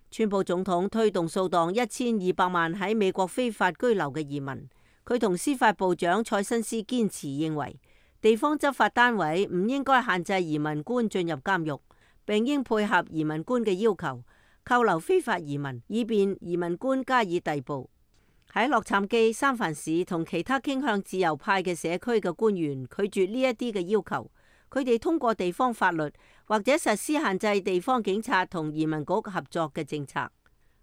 川普總統推動掃蕩一千二百萬喺美國非法居留嘅移民。佢同司法部長塞辛斯堅持認為，地方執法單位唔應該限制移民官進入監獄，並應配合移民官嘅要求，扣留非法移民，以便移民官加以逮捕。喺洛杉磯、三藩市同其他傾向自由派嘅社區嘅官員拒絕呢一啲嘅要求，佢哋通過地方法律或者實施限制地方警察同移民局合作嘅政策。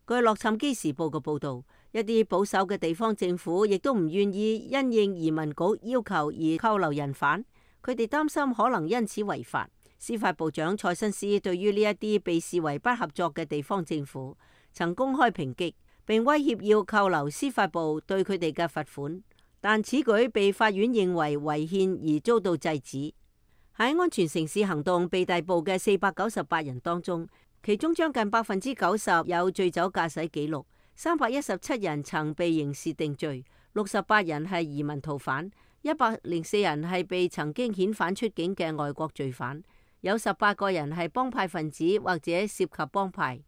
據洛杉磯時報嘅報導，一啲保守嘅地方政府亦都唔願意因應移民局要求而扣留人犯，佢哋擔心可能因此違法。司法部長塞辛斯對於呢一啲被視為不合作嘅地方政府，曾公開抨擊並威脅要扣留司法部對佢哋嘅罰款，但此舉被法院認為違憲而遭到制止。喺安全城市行動被逮捕嘅四百九十八人當中，其中將近百分之九十有醉酒駕駛記錄，三百一十七人曾被刑事定罪，六十八人係移民逃犯，一百零四人係被曾經遣返出境嘅外國罪犯，有十八個人係幫派分子或者涉及幫派。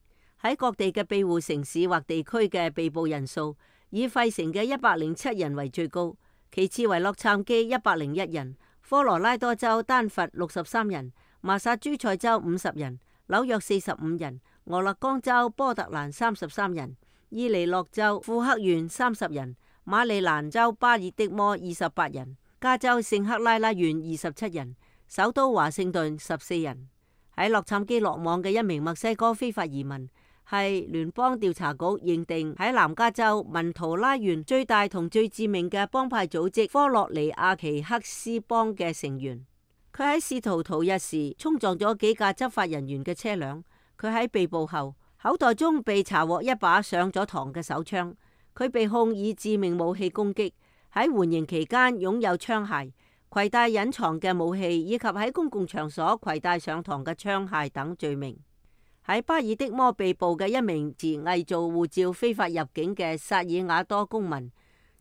喺各地嘅庇護城市或地區嘅被捕人數，以費城嘅一百零七人為最高，其次為洛杉磯一百零一人，科羅拉多州丹佛六十三人，麻薩諸塞州五十人，紐約四十五人，俄勒岡州波特蘭三十三人，伊利諾州庫克縣三十人，馬里蘭州巴爾的摩二十八人，加州聖克拉拉縣二十七人，首都華盛頓十四人。喺洛杉磯落網嘅一名墨西哥非法移民，係聯邦調查局認定喺南加州文圖拉縣最大同最致命嘅幫派組織科洛尼亞奇克斯幫嘅成員。佢喺試圖逃逸時衝撞咗幾架執法人員嘅車輛。佢喺被捕後口袋中被查獲一把上咗膛嘅手槍。佢被控以致命武器攻擊，喺緩刑期間擁有槍械、攜帶隱藏嘅武器以及喺公共場所攜帶上膛嘅槍械等罪名。喺巴爾的摩被捕嘅一名持偽造護照非法入境嘅薩爾瓦多公民，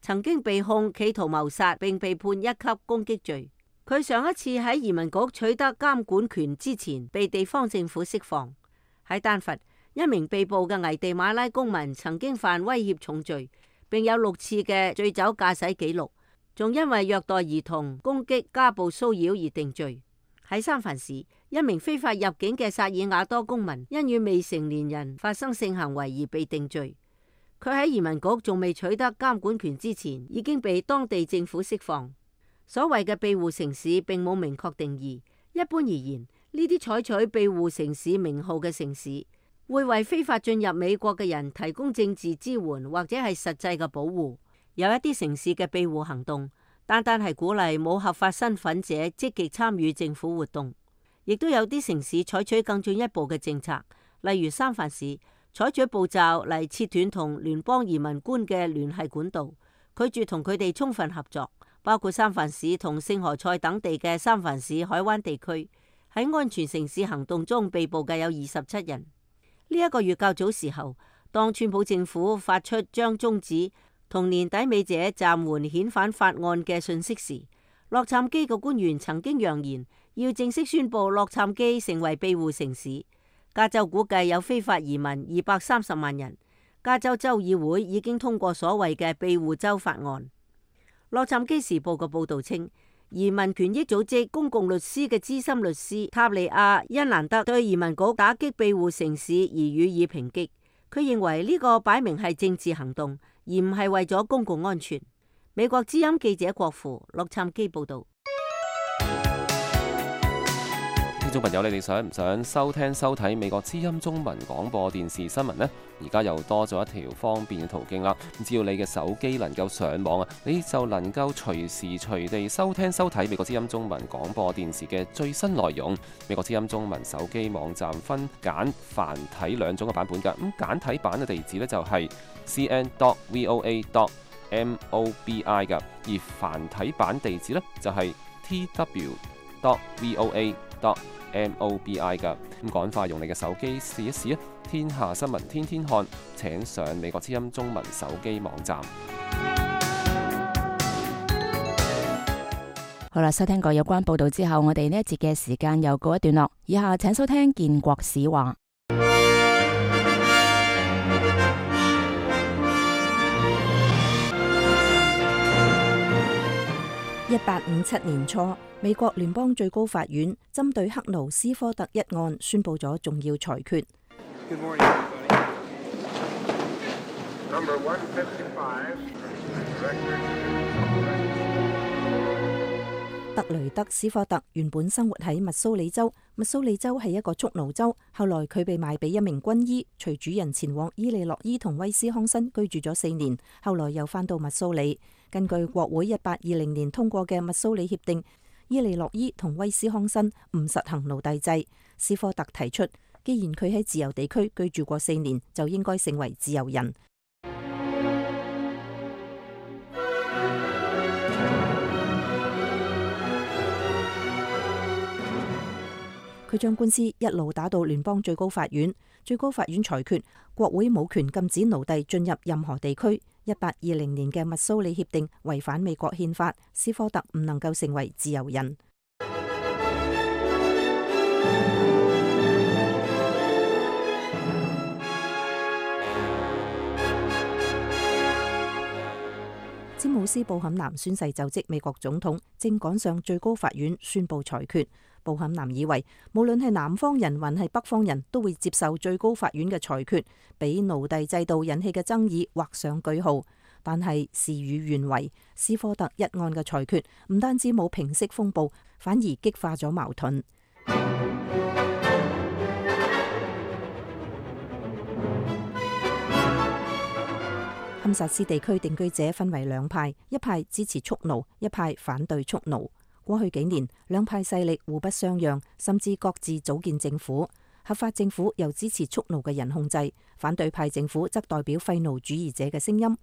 曾經被控企圖謀殺並被判一級攻擊罪。佢上一次喺移民局取得監管權之前，被地方政府釋放。喺丹佛，一名被捕嘅危地馬拉公民曾經犯威脅重罪，並有六次嘅醉酒駕駛記錄，仲因為虐待兒童、攻擊、家暴騷擾而定罪。喺三藩市，一名非法入境嘅薩爾瓦多公民因與未成年人發生性行為而被定罪。佢喺移民局仲未取得監管權之前，已經被當地政府釋放。所謂嘅庇護城市並冇明確定義。一般而言，呢啲採取庇護城市名號嘅城市會為非法進入美國嘅人提供政治支援或者係實際嘅保護。有一啲城市嘅庇護行動單單係鼓勵冇合法身份者積極參與政府活動，亦都有啲城市採取更進一步嘅政策，例如三藩市採取步驟嚟切斷同聯邦移民官嘅聯繫管道，拒絕同佢哋充分合作，包括三藩市同聖何塞等地嘅三藩市海灣地區。喺安全城市行動中被捕嘅有二十七人。呢、這、一個月較早時候，當川普政府發出將終止同年底尾者暫緩遣返法案嘅訊息時，洛杉磯嘅官員曾經揚言要正式宣布洛杉磯成為庇護城市。加州估計有非法移民二百三十萬人。加州州議會已經通過所謂嘅庇護州法案。洛杉磯時報嘅報導稱，移民權益組織公共律師嘅資深律師塔利亞因蘭德對移民局打擊庇護城市而予以抨擊。佢認為呢個擺明係政治行動，而唔係為咗公共安全。美國之音記者郭芙洛杉磯報道。聽眾朋友，你哋想唔想收聽收睇美國之音中文廣播電視新聞呢？而家又多咗一條方便嘅途徑啦。只要你嘅手機能夠上網啊，你就能夠隨時隨地收聽收睇美國之音中文廣播電視嘅最新內容。美國之音中文手機網站分簡繁體兩種嘅版本㗎。咁簡體版嘅地址呢，就係 c n dot voa dot mobi 㗎，而繁體版地址呢，就係 t w dot voa dot mobi 㗎。咁趕快用你嘅手機試一試啊！天下新聞天天看，請上美國之音中文手機網站。好啦，收聽過有關報道之後，我哋呢一節嘅時間又告一段落。以下請收聽建國史話。一八五七年初，美國聯邦最高法院針對克勞斯科特一案宣布咗重要裁決。Good morning, everybody. Number one fifty-five. 特雷德斯科特原本生活喺密蘇里州，密蘇里州係一個蓄奴州。後來佢被賣俾一名軍醫，隨主人前往伊利諾伊同威斯康辛居住咗四年，後來又返到密蘇里。根據國會一八二零年通過嘅密蘇里協定，伊利諾伊同威斯康辛唔實行奴隸制。斯科特提出，既然佢喺自由地區居住過四年，就應該成為自由人。佢將官司一路打到聯邦最高法院，最高法院裁決國會冇權禁止奴隸進入任何地區。一八二零年嘅密蘇里協定違反美國憲法，斯科特唔能夠成為自由人。詹姆斯·布坎南宣誓就職美國總統，正趕上最高法院宣布裁決。布坎南以為，無論係南方人還係北方人都會接受最高法院嘅裁決，俾奴隸制度引起嘅爭議畫上句號。但係事與願違，斯科特一案嘅裁決唔單止冇平息風暴，反而激化咗矛盾。堪薩斯地區定居者分為兩派，一派支持蓄奴，一派反對蓄奴。過去幾年，兩派勢力互不相讓，甚至各自組建政府。合法政府由支持蓄奴嘅人控制，反對派政府則代表廢奴主義者嘅聲音。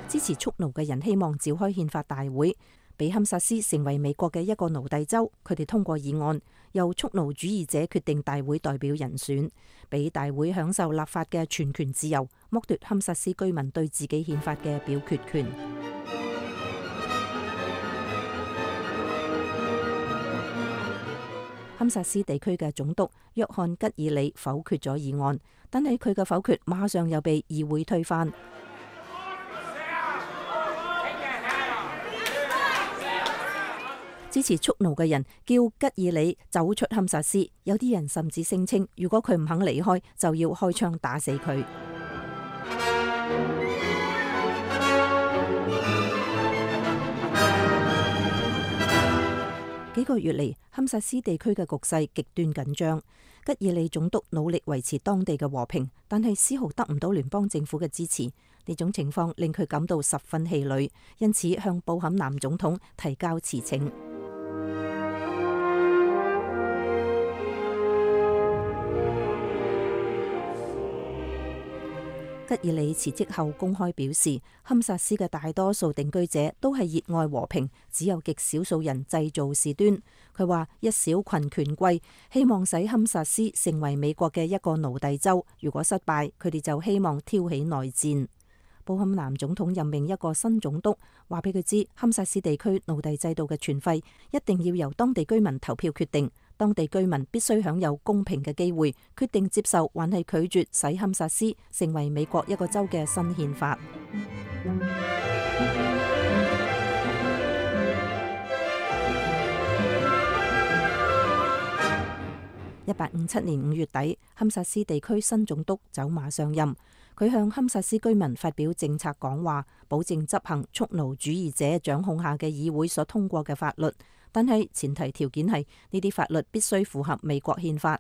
支持蓄奴嘅人希望召開憲法大會，俾堪薩斯成為美國嘅一個奴隸州。佢哋通過議案，由蓄奴主義者決定大會代表人選，俾大會享受立法嘅全權自由，剝奪堪薩斯居民對自己憲法嘅表決權。堪薩斯地區嘅總督約翰吉爾里否決咗議案，但係佢嘅否決馬上又被議會推翻。支持蓄奴嘅人叫吉爾里走出堪薩斯，有啲人甚至聲稱，如果佢唔肯離開，就要開槍打死佢。幾個月嚟，堪薩斯地區嘅局勢極端緊張。吉爾里總督努力維持當地嘅和平，但係絲毫得唔到聯邦政府嘅支持。呢種情況令佢感到十分氣餒，因此向布坎南總統提交辭呈。吉爾里辭職後公開表示，堪薩斯嘅大多數定居者都係熱愛和平，只有極少數人製造事端。佢話一小群權貴希望使堪薩斯成為美國嘅一個奴隸州，如果失敗，佢哋就希望挑起內戰。布坎南總統任命一個新總督，話俾佢知堪薩斯地區奴隸制度嘅存廢一定要由當地居民投票決定。當地居民必須享有公平嘅機會，決定接受還係拒絕使堪薩斯成為美國一個州嘅新憲法。一八五七年五月底，堪薩斯地區新總督走馬上任，佢向堪薩斯居民發表政策講話，保證執行蓄奴主義者掌控下嘅議會所通過嘅法律。但係前提條件係呢啲法律必須符合美國憲法。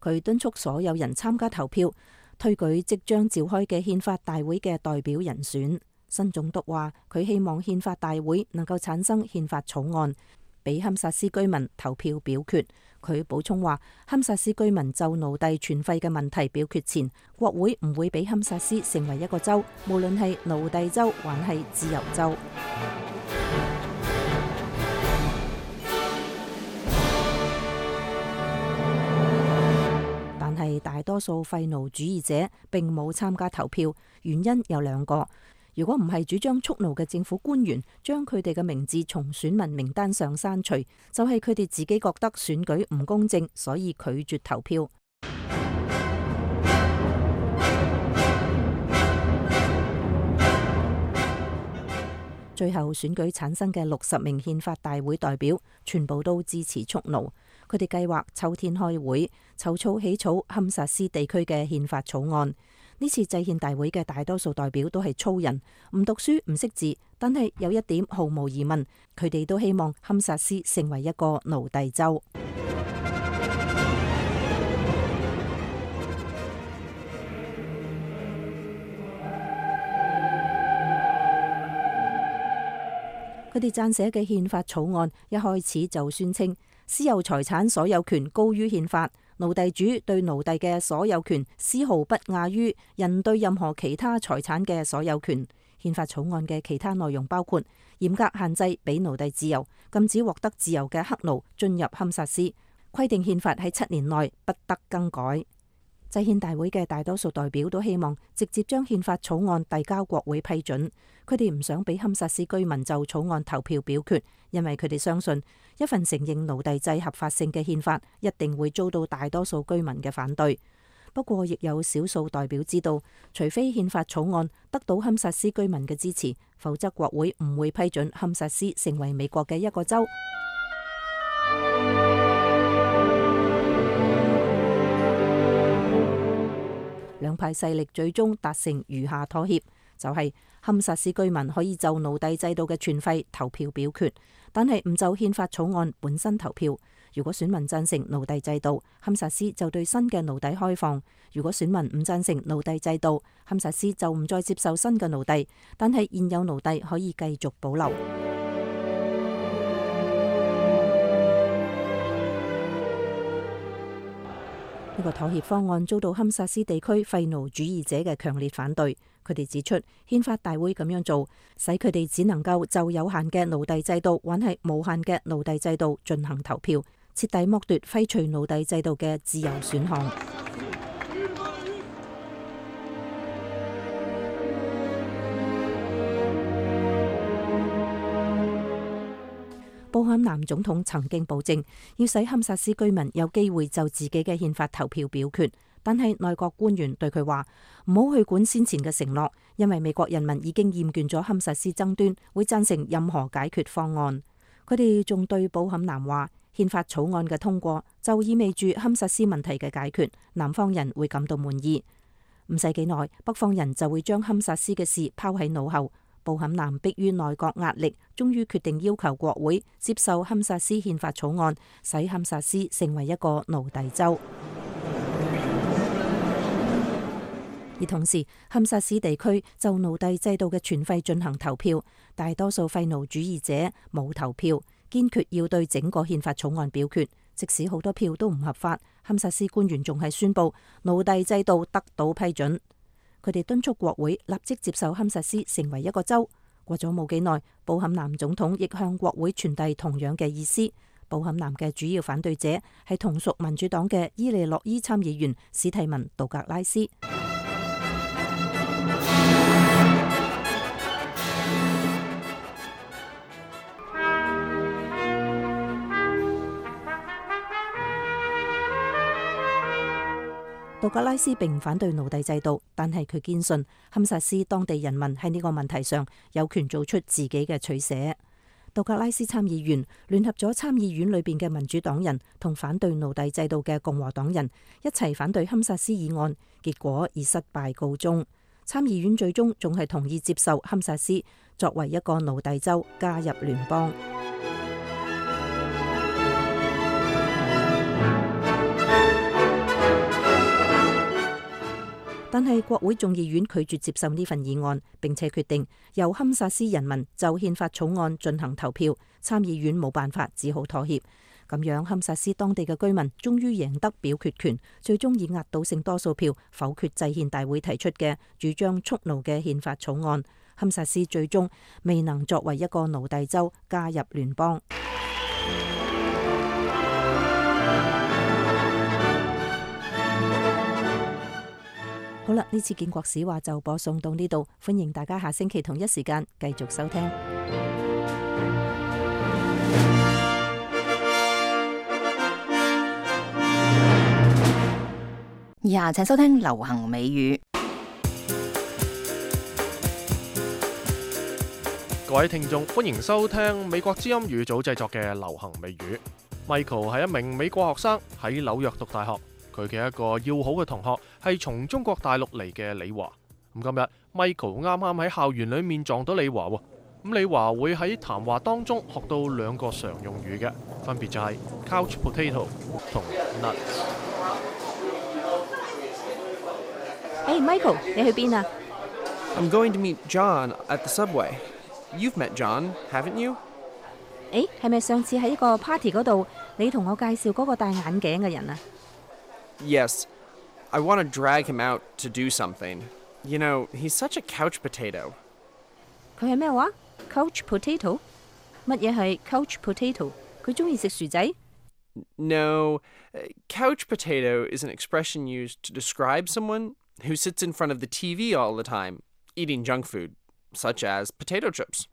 佢敦促所有人參加投票，推舉即將召開嘅憲法大會嘅代表人選。新總督話佢希望憲法大會能夠產生憲法草案，俾堪薩斯居民投票表決。佢補充話，堪薩斯居民就奴隸存廢嘅問題表決前，國會唔會俾堪薩斯成為一個州，無論係奴隸州還係自由州。但係大多數廢奴主義者並冇參加投票，原因有兩個。如果唔係主張蓄奴嘅政府官員將佢哋嘅名字從選民名單上刪除，就係佢哋自己覺得選舉唔公正，所以拒絕投票。最後選舉產生嘅六十名憲法大會代表，全部都支持蓄奴。佢哋計劃秋天開會，籌措起草堪薩斯地區嘅憲法草案。呢次制憲大會嘅大多數代表都係粗人，唔讀書唔識字，但係有一點毫無疑問，佢哋都希望堪薩斯成為一個奴隸州。佢哋撰寫嘅憲法草案一開始就宣稱私有財產所有權高於憲法，奴隸主對奴隸嘅所有權絲毫不亞於人對任何其他財產嘅所有權。憲法草案嘅其他內容包括嚴格限制俾奴隸自由，禁止獲得自由嘅黑奴進入堪薩斯，規定憲法喺七年內不得更改。制憲大會嘅大多數代表都希望直接將憲法草案遞交國會批准，佢哋唔想俾堪薩斯居民就草案投票表決，因為佢哋相信一份承認奴隸制合法性嘅憲法一定會遭到大多數居民嘅反對。不過亦有少數代表知道，除非憲法草案得到堪薩斯居民嘅支持，否則國會唔會批准堪薩斯成為美國嘅一個州。兩派勢力最終達成餘下妥協，就係堪薩斯居民可以就奴隸制度嘅存廢投票表決，但係唔就憲法草案本身投票，如果選民贊成奴隸制度，堪薩斯就對新嘅奴隸開放；如果選民唔贊成奴隸制度，堪薩斯就唔再接受新嘅奴隸，但係現有奴隸可以繼續保留。呢個妥協方案遭到堪薩斯地區廢奴主義者嘅強烈反對。佢哋指出，憲法大會咁樣做，使佢哋只能夠就有限嘅奴隸制度，或係無限嘅奴隸制度進行投票，徹底剝奪廢除奴隸制度嘅自由選項。布坎南總統曾經保證要使堪薩斯居民有機會就自己嘅憲法投票表決，但係內閣官員對佢話唔好去管先前嘅承諾，因為美國人民已經厭倦咗堪薩斯爭端，會贊成任何解決方案。佢哋仲對布坎南話，憲法草案嘅通過就意味住堪薩斯問題嘅解決，南方人會感到滿意。唔使幾耐，北方人就會將堪薩斯嘅事拋喺腦後。布坎南迫於內閣壓力，終於決定要求國會接受堪薩斯憲法草案，使堪薩斯成為一個奴隸州。而同時，堪薩斯地區就奴隸制度嘅全廢進行投票，大多數廢奴主義者冇投票，堅決要對整個憲法草案表決，即使好多票都唔合法。堪薩斯官員仲係宣布奴隸制度得到批准。佢哋敦促國會立即接受堪薩斯成為一個州。過咗冇幾耐，布坎南總統亦向國會傳遞同樣嘅意思。布坎南嘅主要反對者係同屬民主黨嘅伊利諾伊參議員史蒂文·杜格拉斯。杜格拉斯並唔反對奴隸制度，但係佢堅信堪薩斯當地人民喺呢個問題上有權做出自己嘅取捨。杜格拉斯參議員聯合咗參議院裏邊嘅民主黨人同反對奴隸制度嘅共和黨人一齊反對堪薩斯議案，結果以失敗告終。參議院最終仲係同意接受堪薩斯作為一個奴隸州加入聯邦。但係國會眾議院拒絕接受呢份議案，並且決定由堪薩斯人民就憲法草案進行投票。參議院冇辦法，只好妥協。咁樣堪薩斯當地嘅居民終於贏得表決權，最終以壓倒性多數票否決制憲大會提出嘅主張蓄奴嘅憲法草案。堪薩斯最終未能作為一個奴隸州加入聯邦。好啦，呢次建國史話就播送到呢度，歡迎大家下星期同一時間繼續收聽。以下請收聽流行美語。各位聽眾，歡迎收聽美國之音語組製作嘅流行美語。Michael 係一名美國學生，喺紐約讀大學。佢嘅一個要好嘅同學係從中國大陸嚟嘅李華。咁今日 Michael 啱啱喺校園裏面撞到李華喎。咁李華會喺談話當中學到兩個常用語嘅，分別就係 couch potato 同 nuts。誒、hey, Michael， 你去邊啊？ I'm going to meet John at the subway. You've met John, haven't you? 誒，係咪上次喺一個 party 嗰度，你同我介紹嗰個戴眼鏡嘅人啊？ Yes, I want to drag him out to do something. You know, he's such a couch potato. 佢係咩話 ？Couch potato？ 乜嘢係 couch potato？ 佢中意食薯仔 ？No, couch potato is an expression used to describe someone who sits in front of the T V all the time, eating junk food, such as potato chips.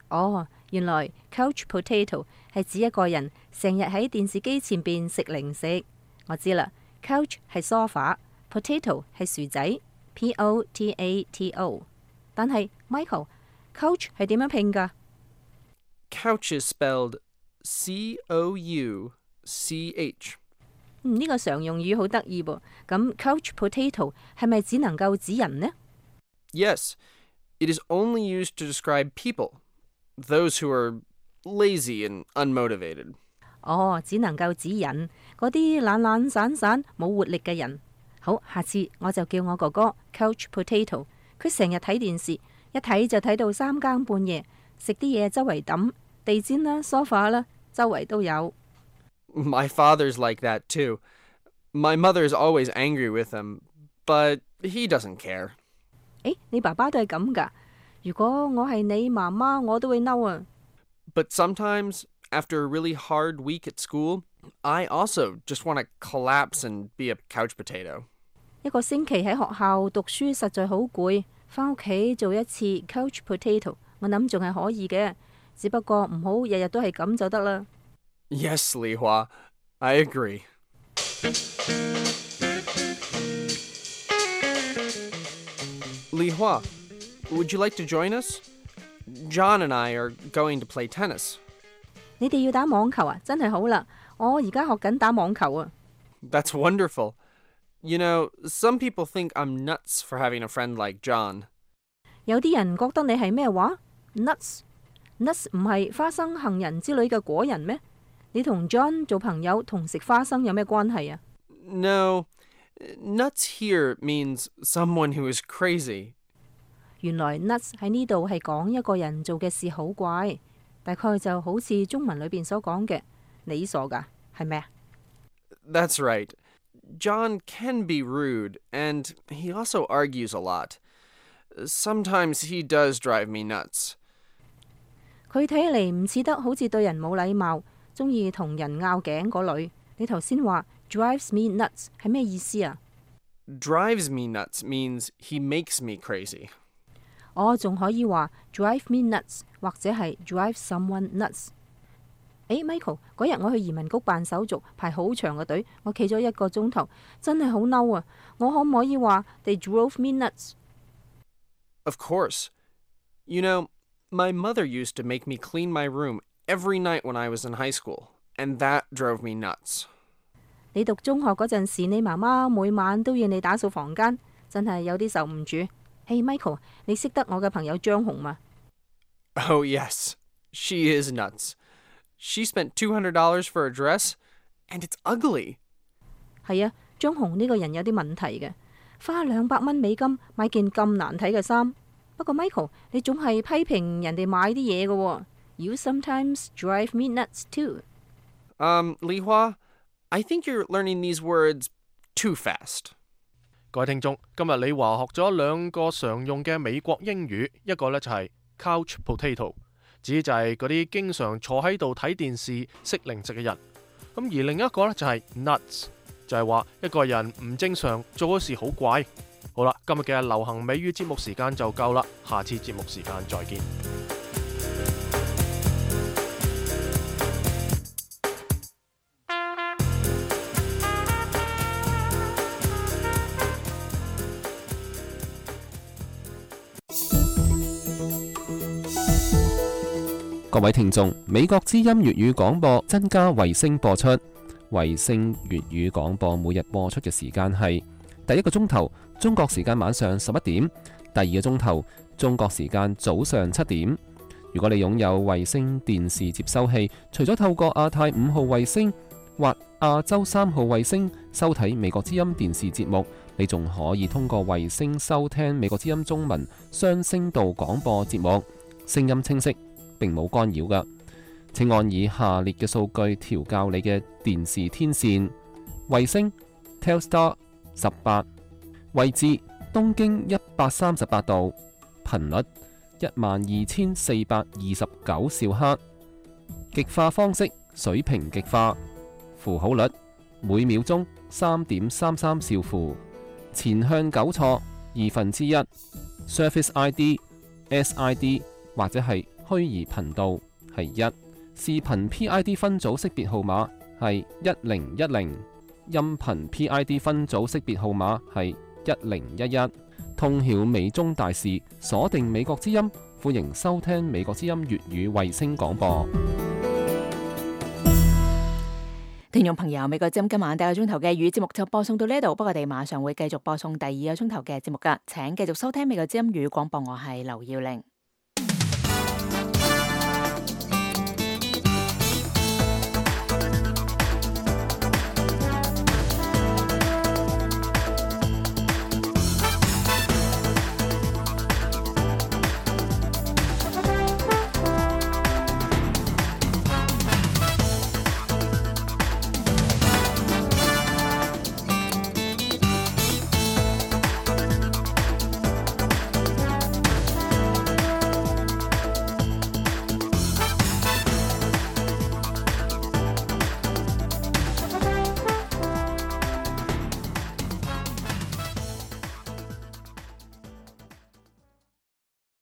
哦，原來 couch potato 係指一個人成日喺電視機前邊食零食。我知啦。Couch 係 sofa，potato 係薯仔 ，P O T A T O。但係 Michael，couch 係點樣拼㗎 ？Couch is spelled C O U C H。嗯，呢個常用語好得意噃。咁 couch potato 係咪只能夠指人呢 ？Yes, it is only used to describe people, those who are lazy and unmotivated. 哦，只能夠指引嗰啲懶懶散散冇活力嘅人。好，下次我就叫我哥哥 Couch Potato， 佢成日睇電視，一睇就睇到三更半夜，食啲嘢周圍抌，地氈啦、梳化啦，周圍都有。My father's like that too. My mother's always angry with him, but he doesn't care. 誒，你爸爸都係咁㗎？如果我係你媽媽，我都會嬲啊。But sometimes, after a really hard week at school, I also just want to collapse and be a couch potato. 一個星期喺學校讀書實在好攰，返屋企做一次 couch potato， 我諗仲係可以嘅，只不過唔好日日都係咁就得啦。Yes, Li Hua, I agree. Li Hua, would you like to join us? John and I are going to play tennis. 你哋要打網球啊？真係好啦，我而家學緊打網球啊。That's wonderful. You know, some people think I'm nuts for having a friend like John. 有啲人覺得你係咩話 ？Nuts，nuts 唔係花生、杏仁之類嘅果仁咩？你同 John 做朋友同食花生有咩關係啊 ？No, nuts here means someone who is crazy. 原來 nuts 喺呢度係講一個人做嘅事好怪，大概就好似中文裏邊所講嘅，你傻噶，係咪啊 ？That's right. John can be rude, and he also argues a lot. Sometimes he does drive me nuts. 佢睇嚟唔似得好似對人冇禮貌，中意同人拗頸嗰類。你頭先話 drives me nuts 係咩意思啊 ？Drives me nuts means he makes me crazy. 我仲可以話 drive me nuts 或者係 drive someone nuts。誒 Michael， 嗰日我去移民局辦手續，排好長嘅隊，我企咗一個鐘頭，真係好嬲啊！我可唔可以話 they drove me nuts？ Of course. You know, my mother used to make me clean my room every night when I was in high school, and that drove me nuts. 你讀中學嗰陣時，你媽媽每晚都要你打掃房間，真係有啲受唔住。Hey Michael， 你識得我嘅朋友張紅嗎 ？Oh yes, she is nuts. She spent two hundred dollars for a dress, and it's ugly. 係啊，張紅呢個人有啲問題嘅，花兩百蚊美金買件咁難睇嘅衫。不過 Michael， 你總係批評人哋買啲嘢嘅喎。You sometimes drive me nuts too. Um, Li Hua, I think you're learning these words too fast. 各位聽眾，今日李華學咗兩個常用嘅美國英語，一個呢就係 couch potato， 指就係嗰啲經常坐喺度睇電視食零食嘅人。咁而另一個呢就係 nuts， 就係話一個人唔正常，做嘅事好怪。好啦，今日嘅流行美語節目時間就夠啦，下次節目時間再見。各位聽眾，美國之音粵語廣播增加衛星播出。衛星粵語廣播每日播出嘅時間係第一個鐘頭中國時間晚上十一點，第二個鐘頭中國時間早上七點。如果你擁有衛星電視接收器，除咗透過亞太五號衛星或亞洲三號衛星收睇美國之音電視節目，你仲可以通過衛星收聽美國之音中文雙聲道廣播節目，聲音清晰，並冇干擾㗎。請按以下列嘅數據調校你嘅電視天線：衛星 Telstar 十八，位置東經一百三十八度，頻率一萬二千四百二十九兆赫，極化方式水平極化，符號率每秒鐘三點三三兆符，前向糾錯二分之一 ，Service I D S I D 或者係虛擬頻道係一，視頻 P I D 分組識別號碼係一零一零，音頻 P I D 分組識別號碼係一零一一。通曉美中大事，鎖定美國之音，歡迎收聽美國之音粵語衛星廣播。聽眾朋友，美國之音今晚第一個鐘頭嘅粵語節目就播送到呢度，不過我哋馬上會繼續播送第二個鐘頭嘅節目噶，請繼續收聽美國之音粵語廣播，我係劉耀玲。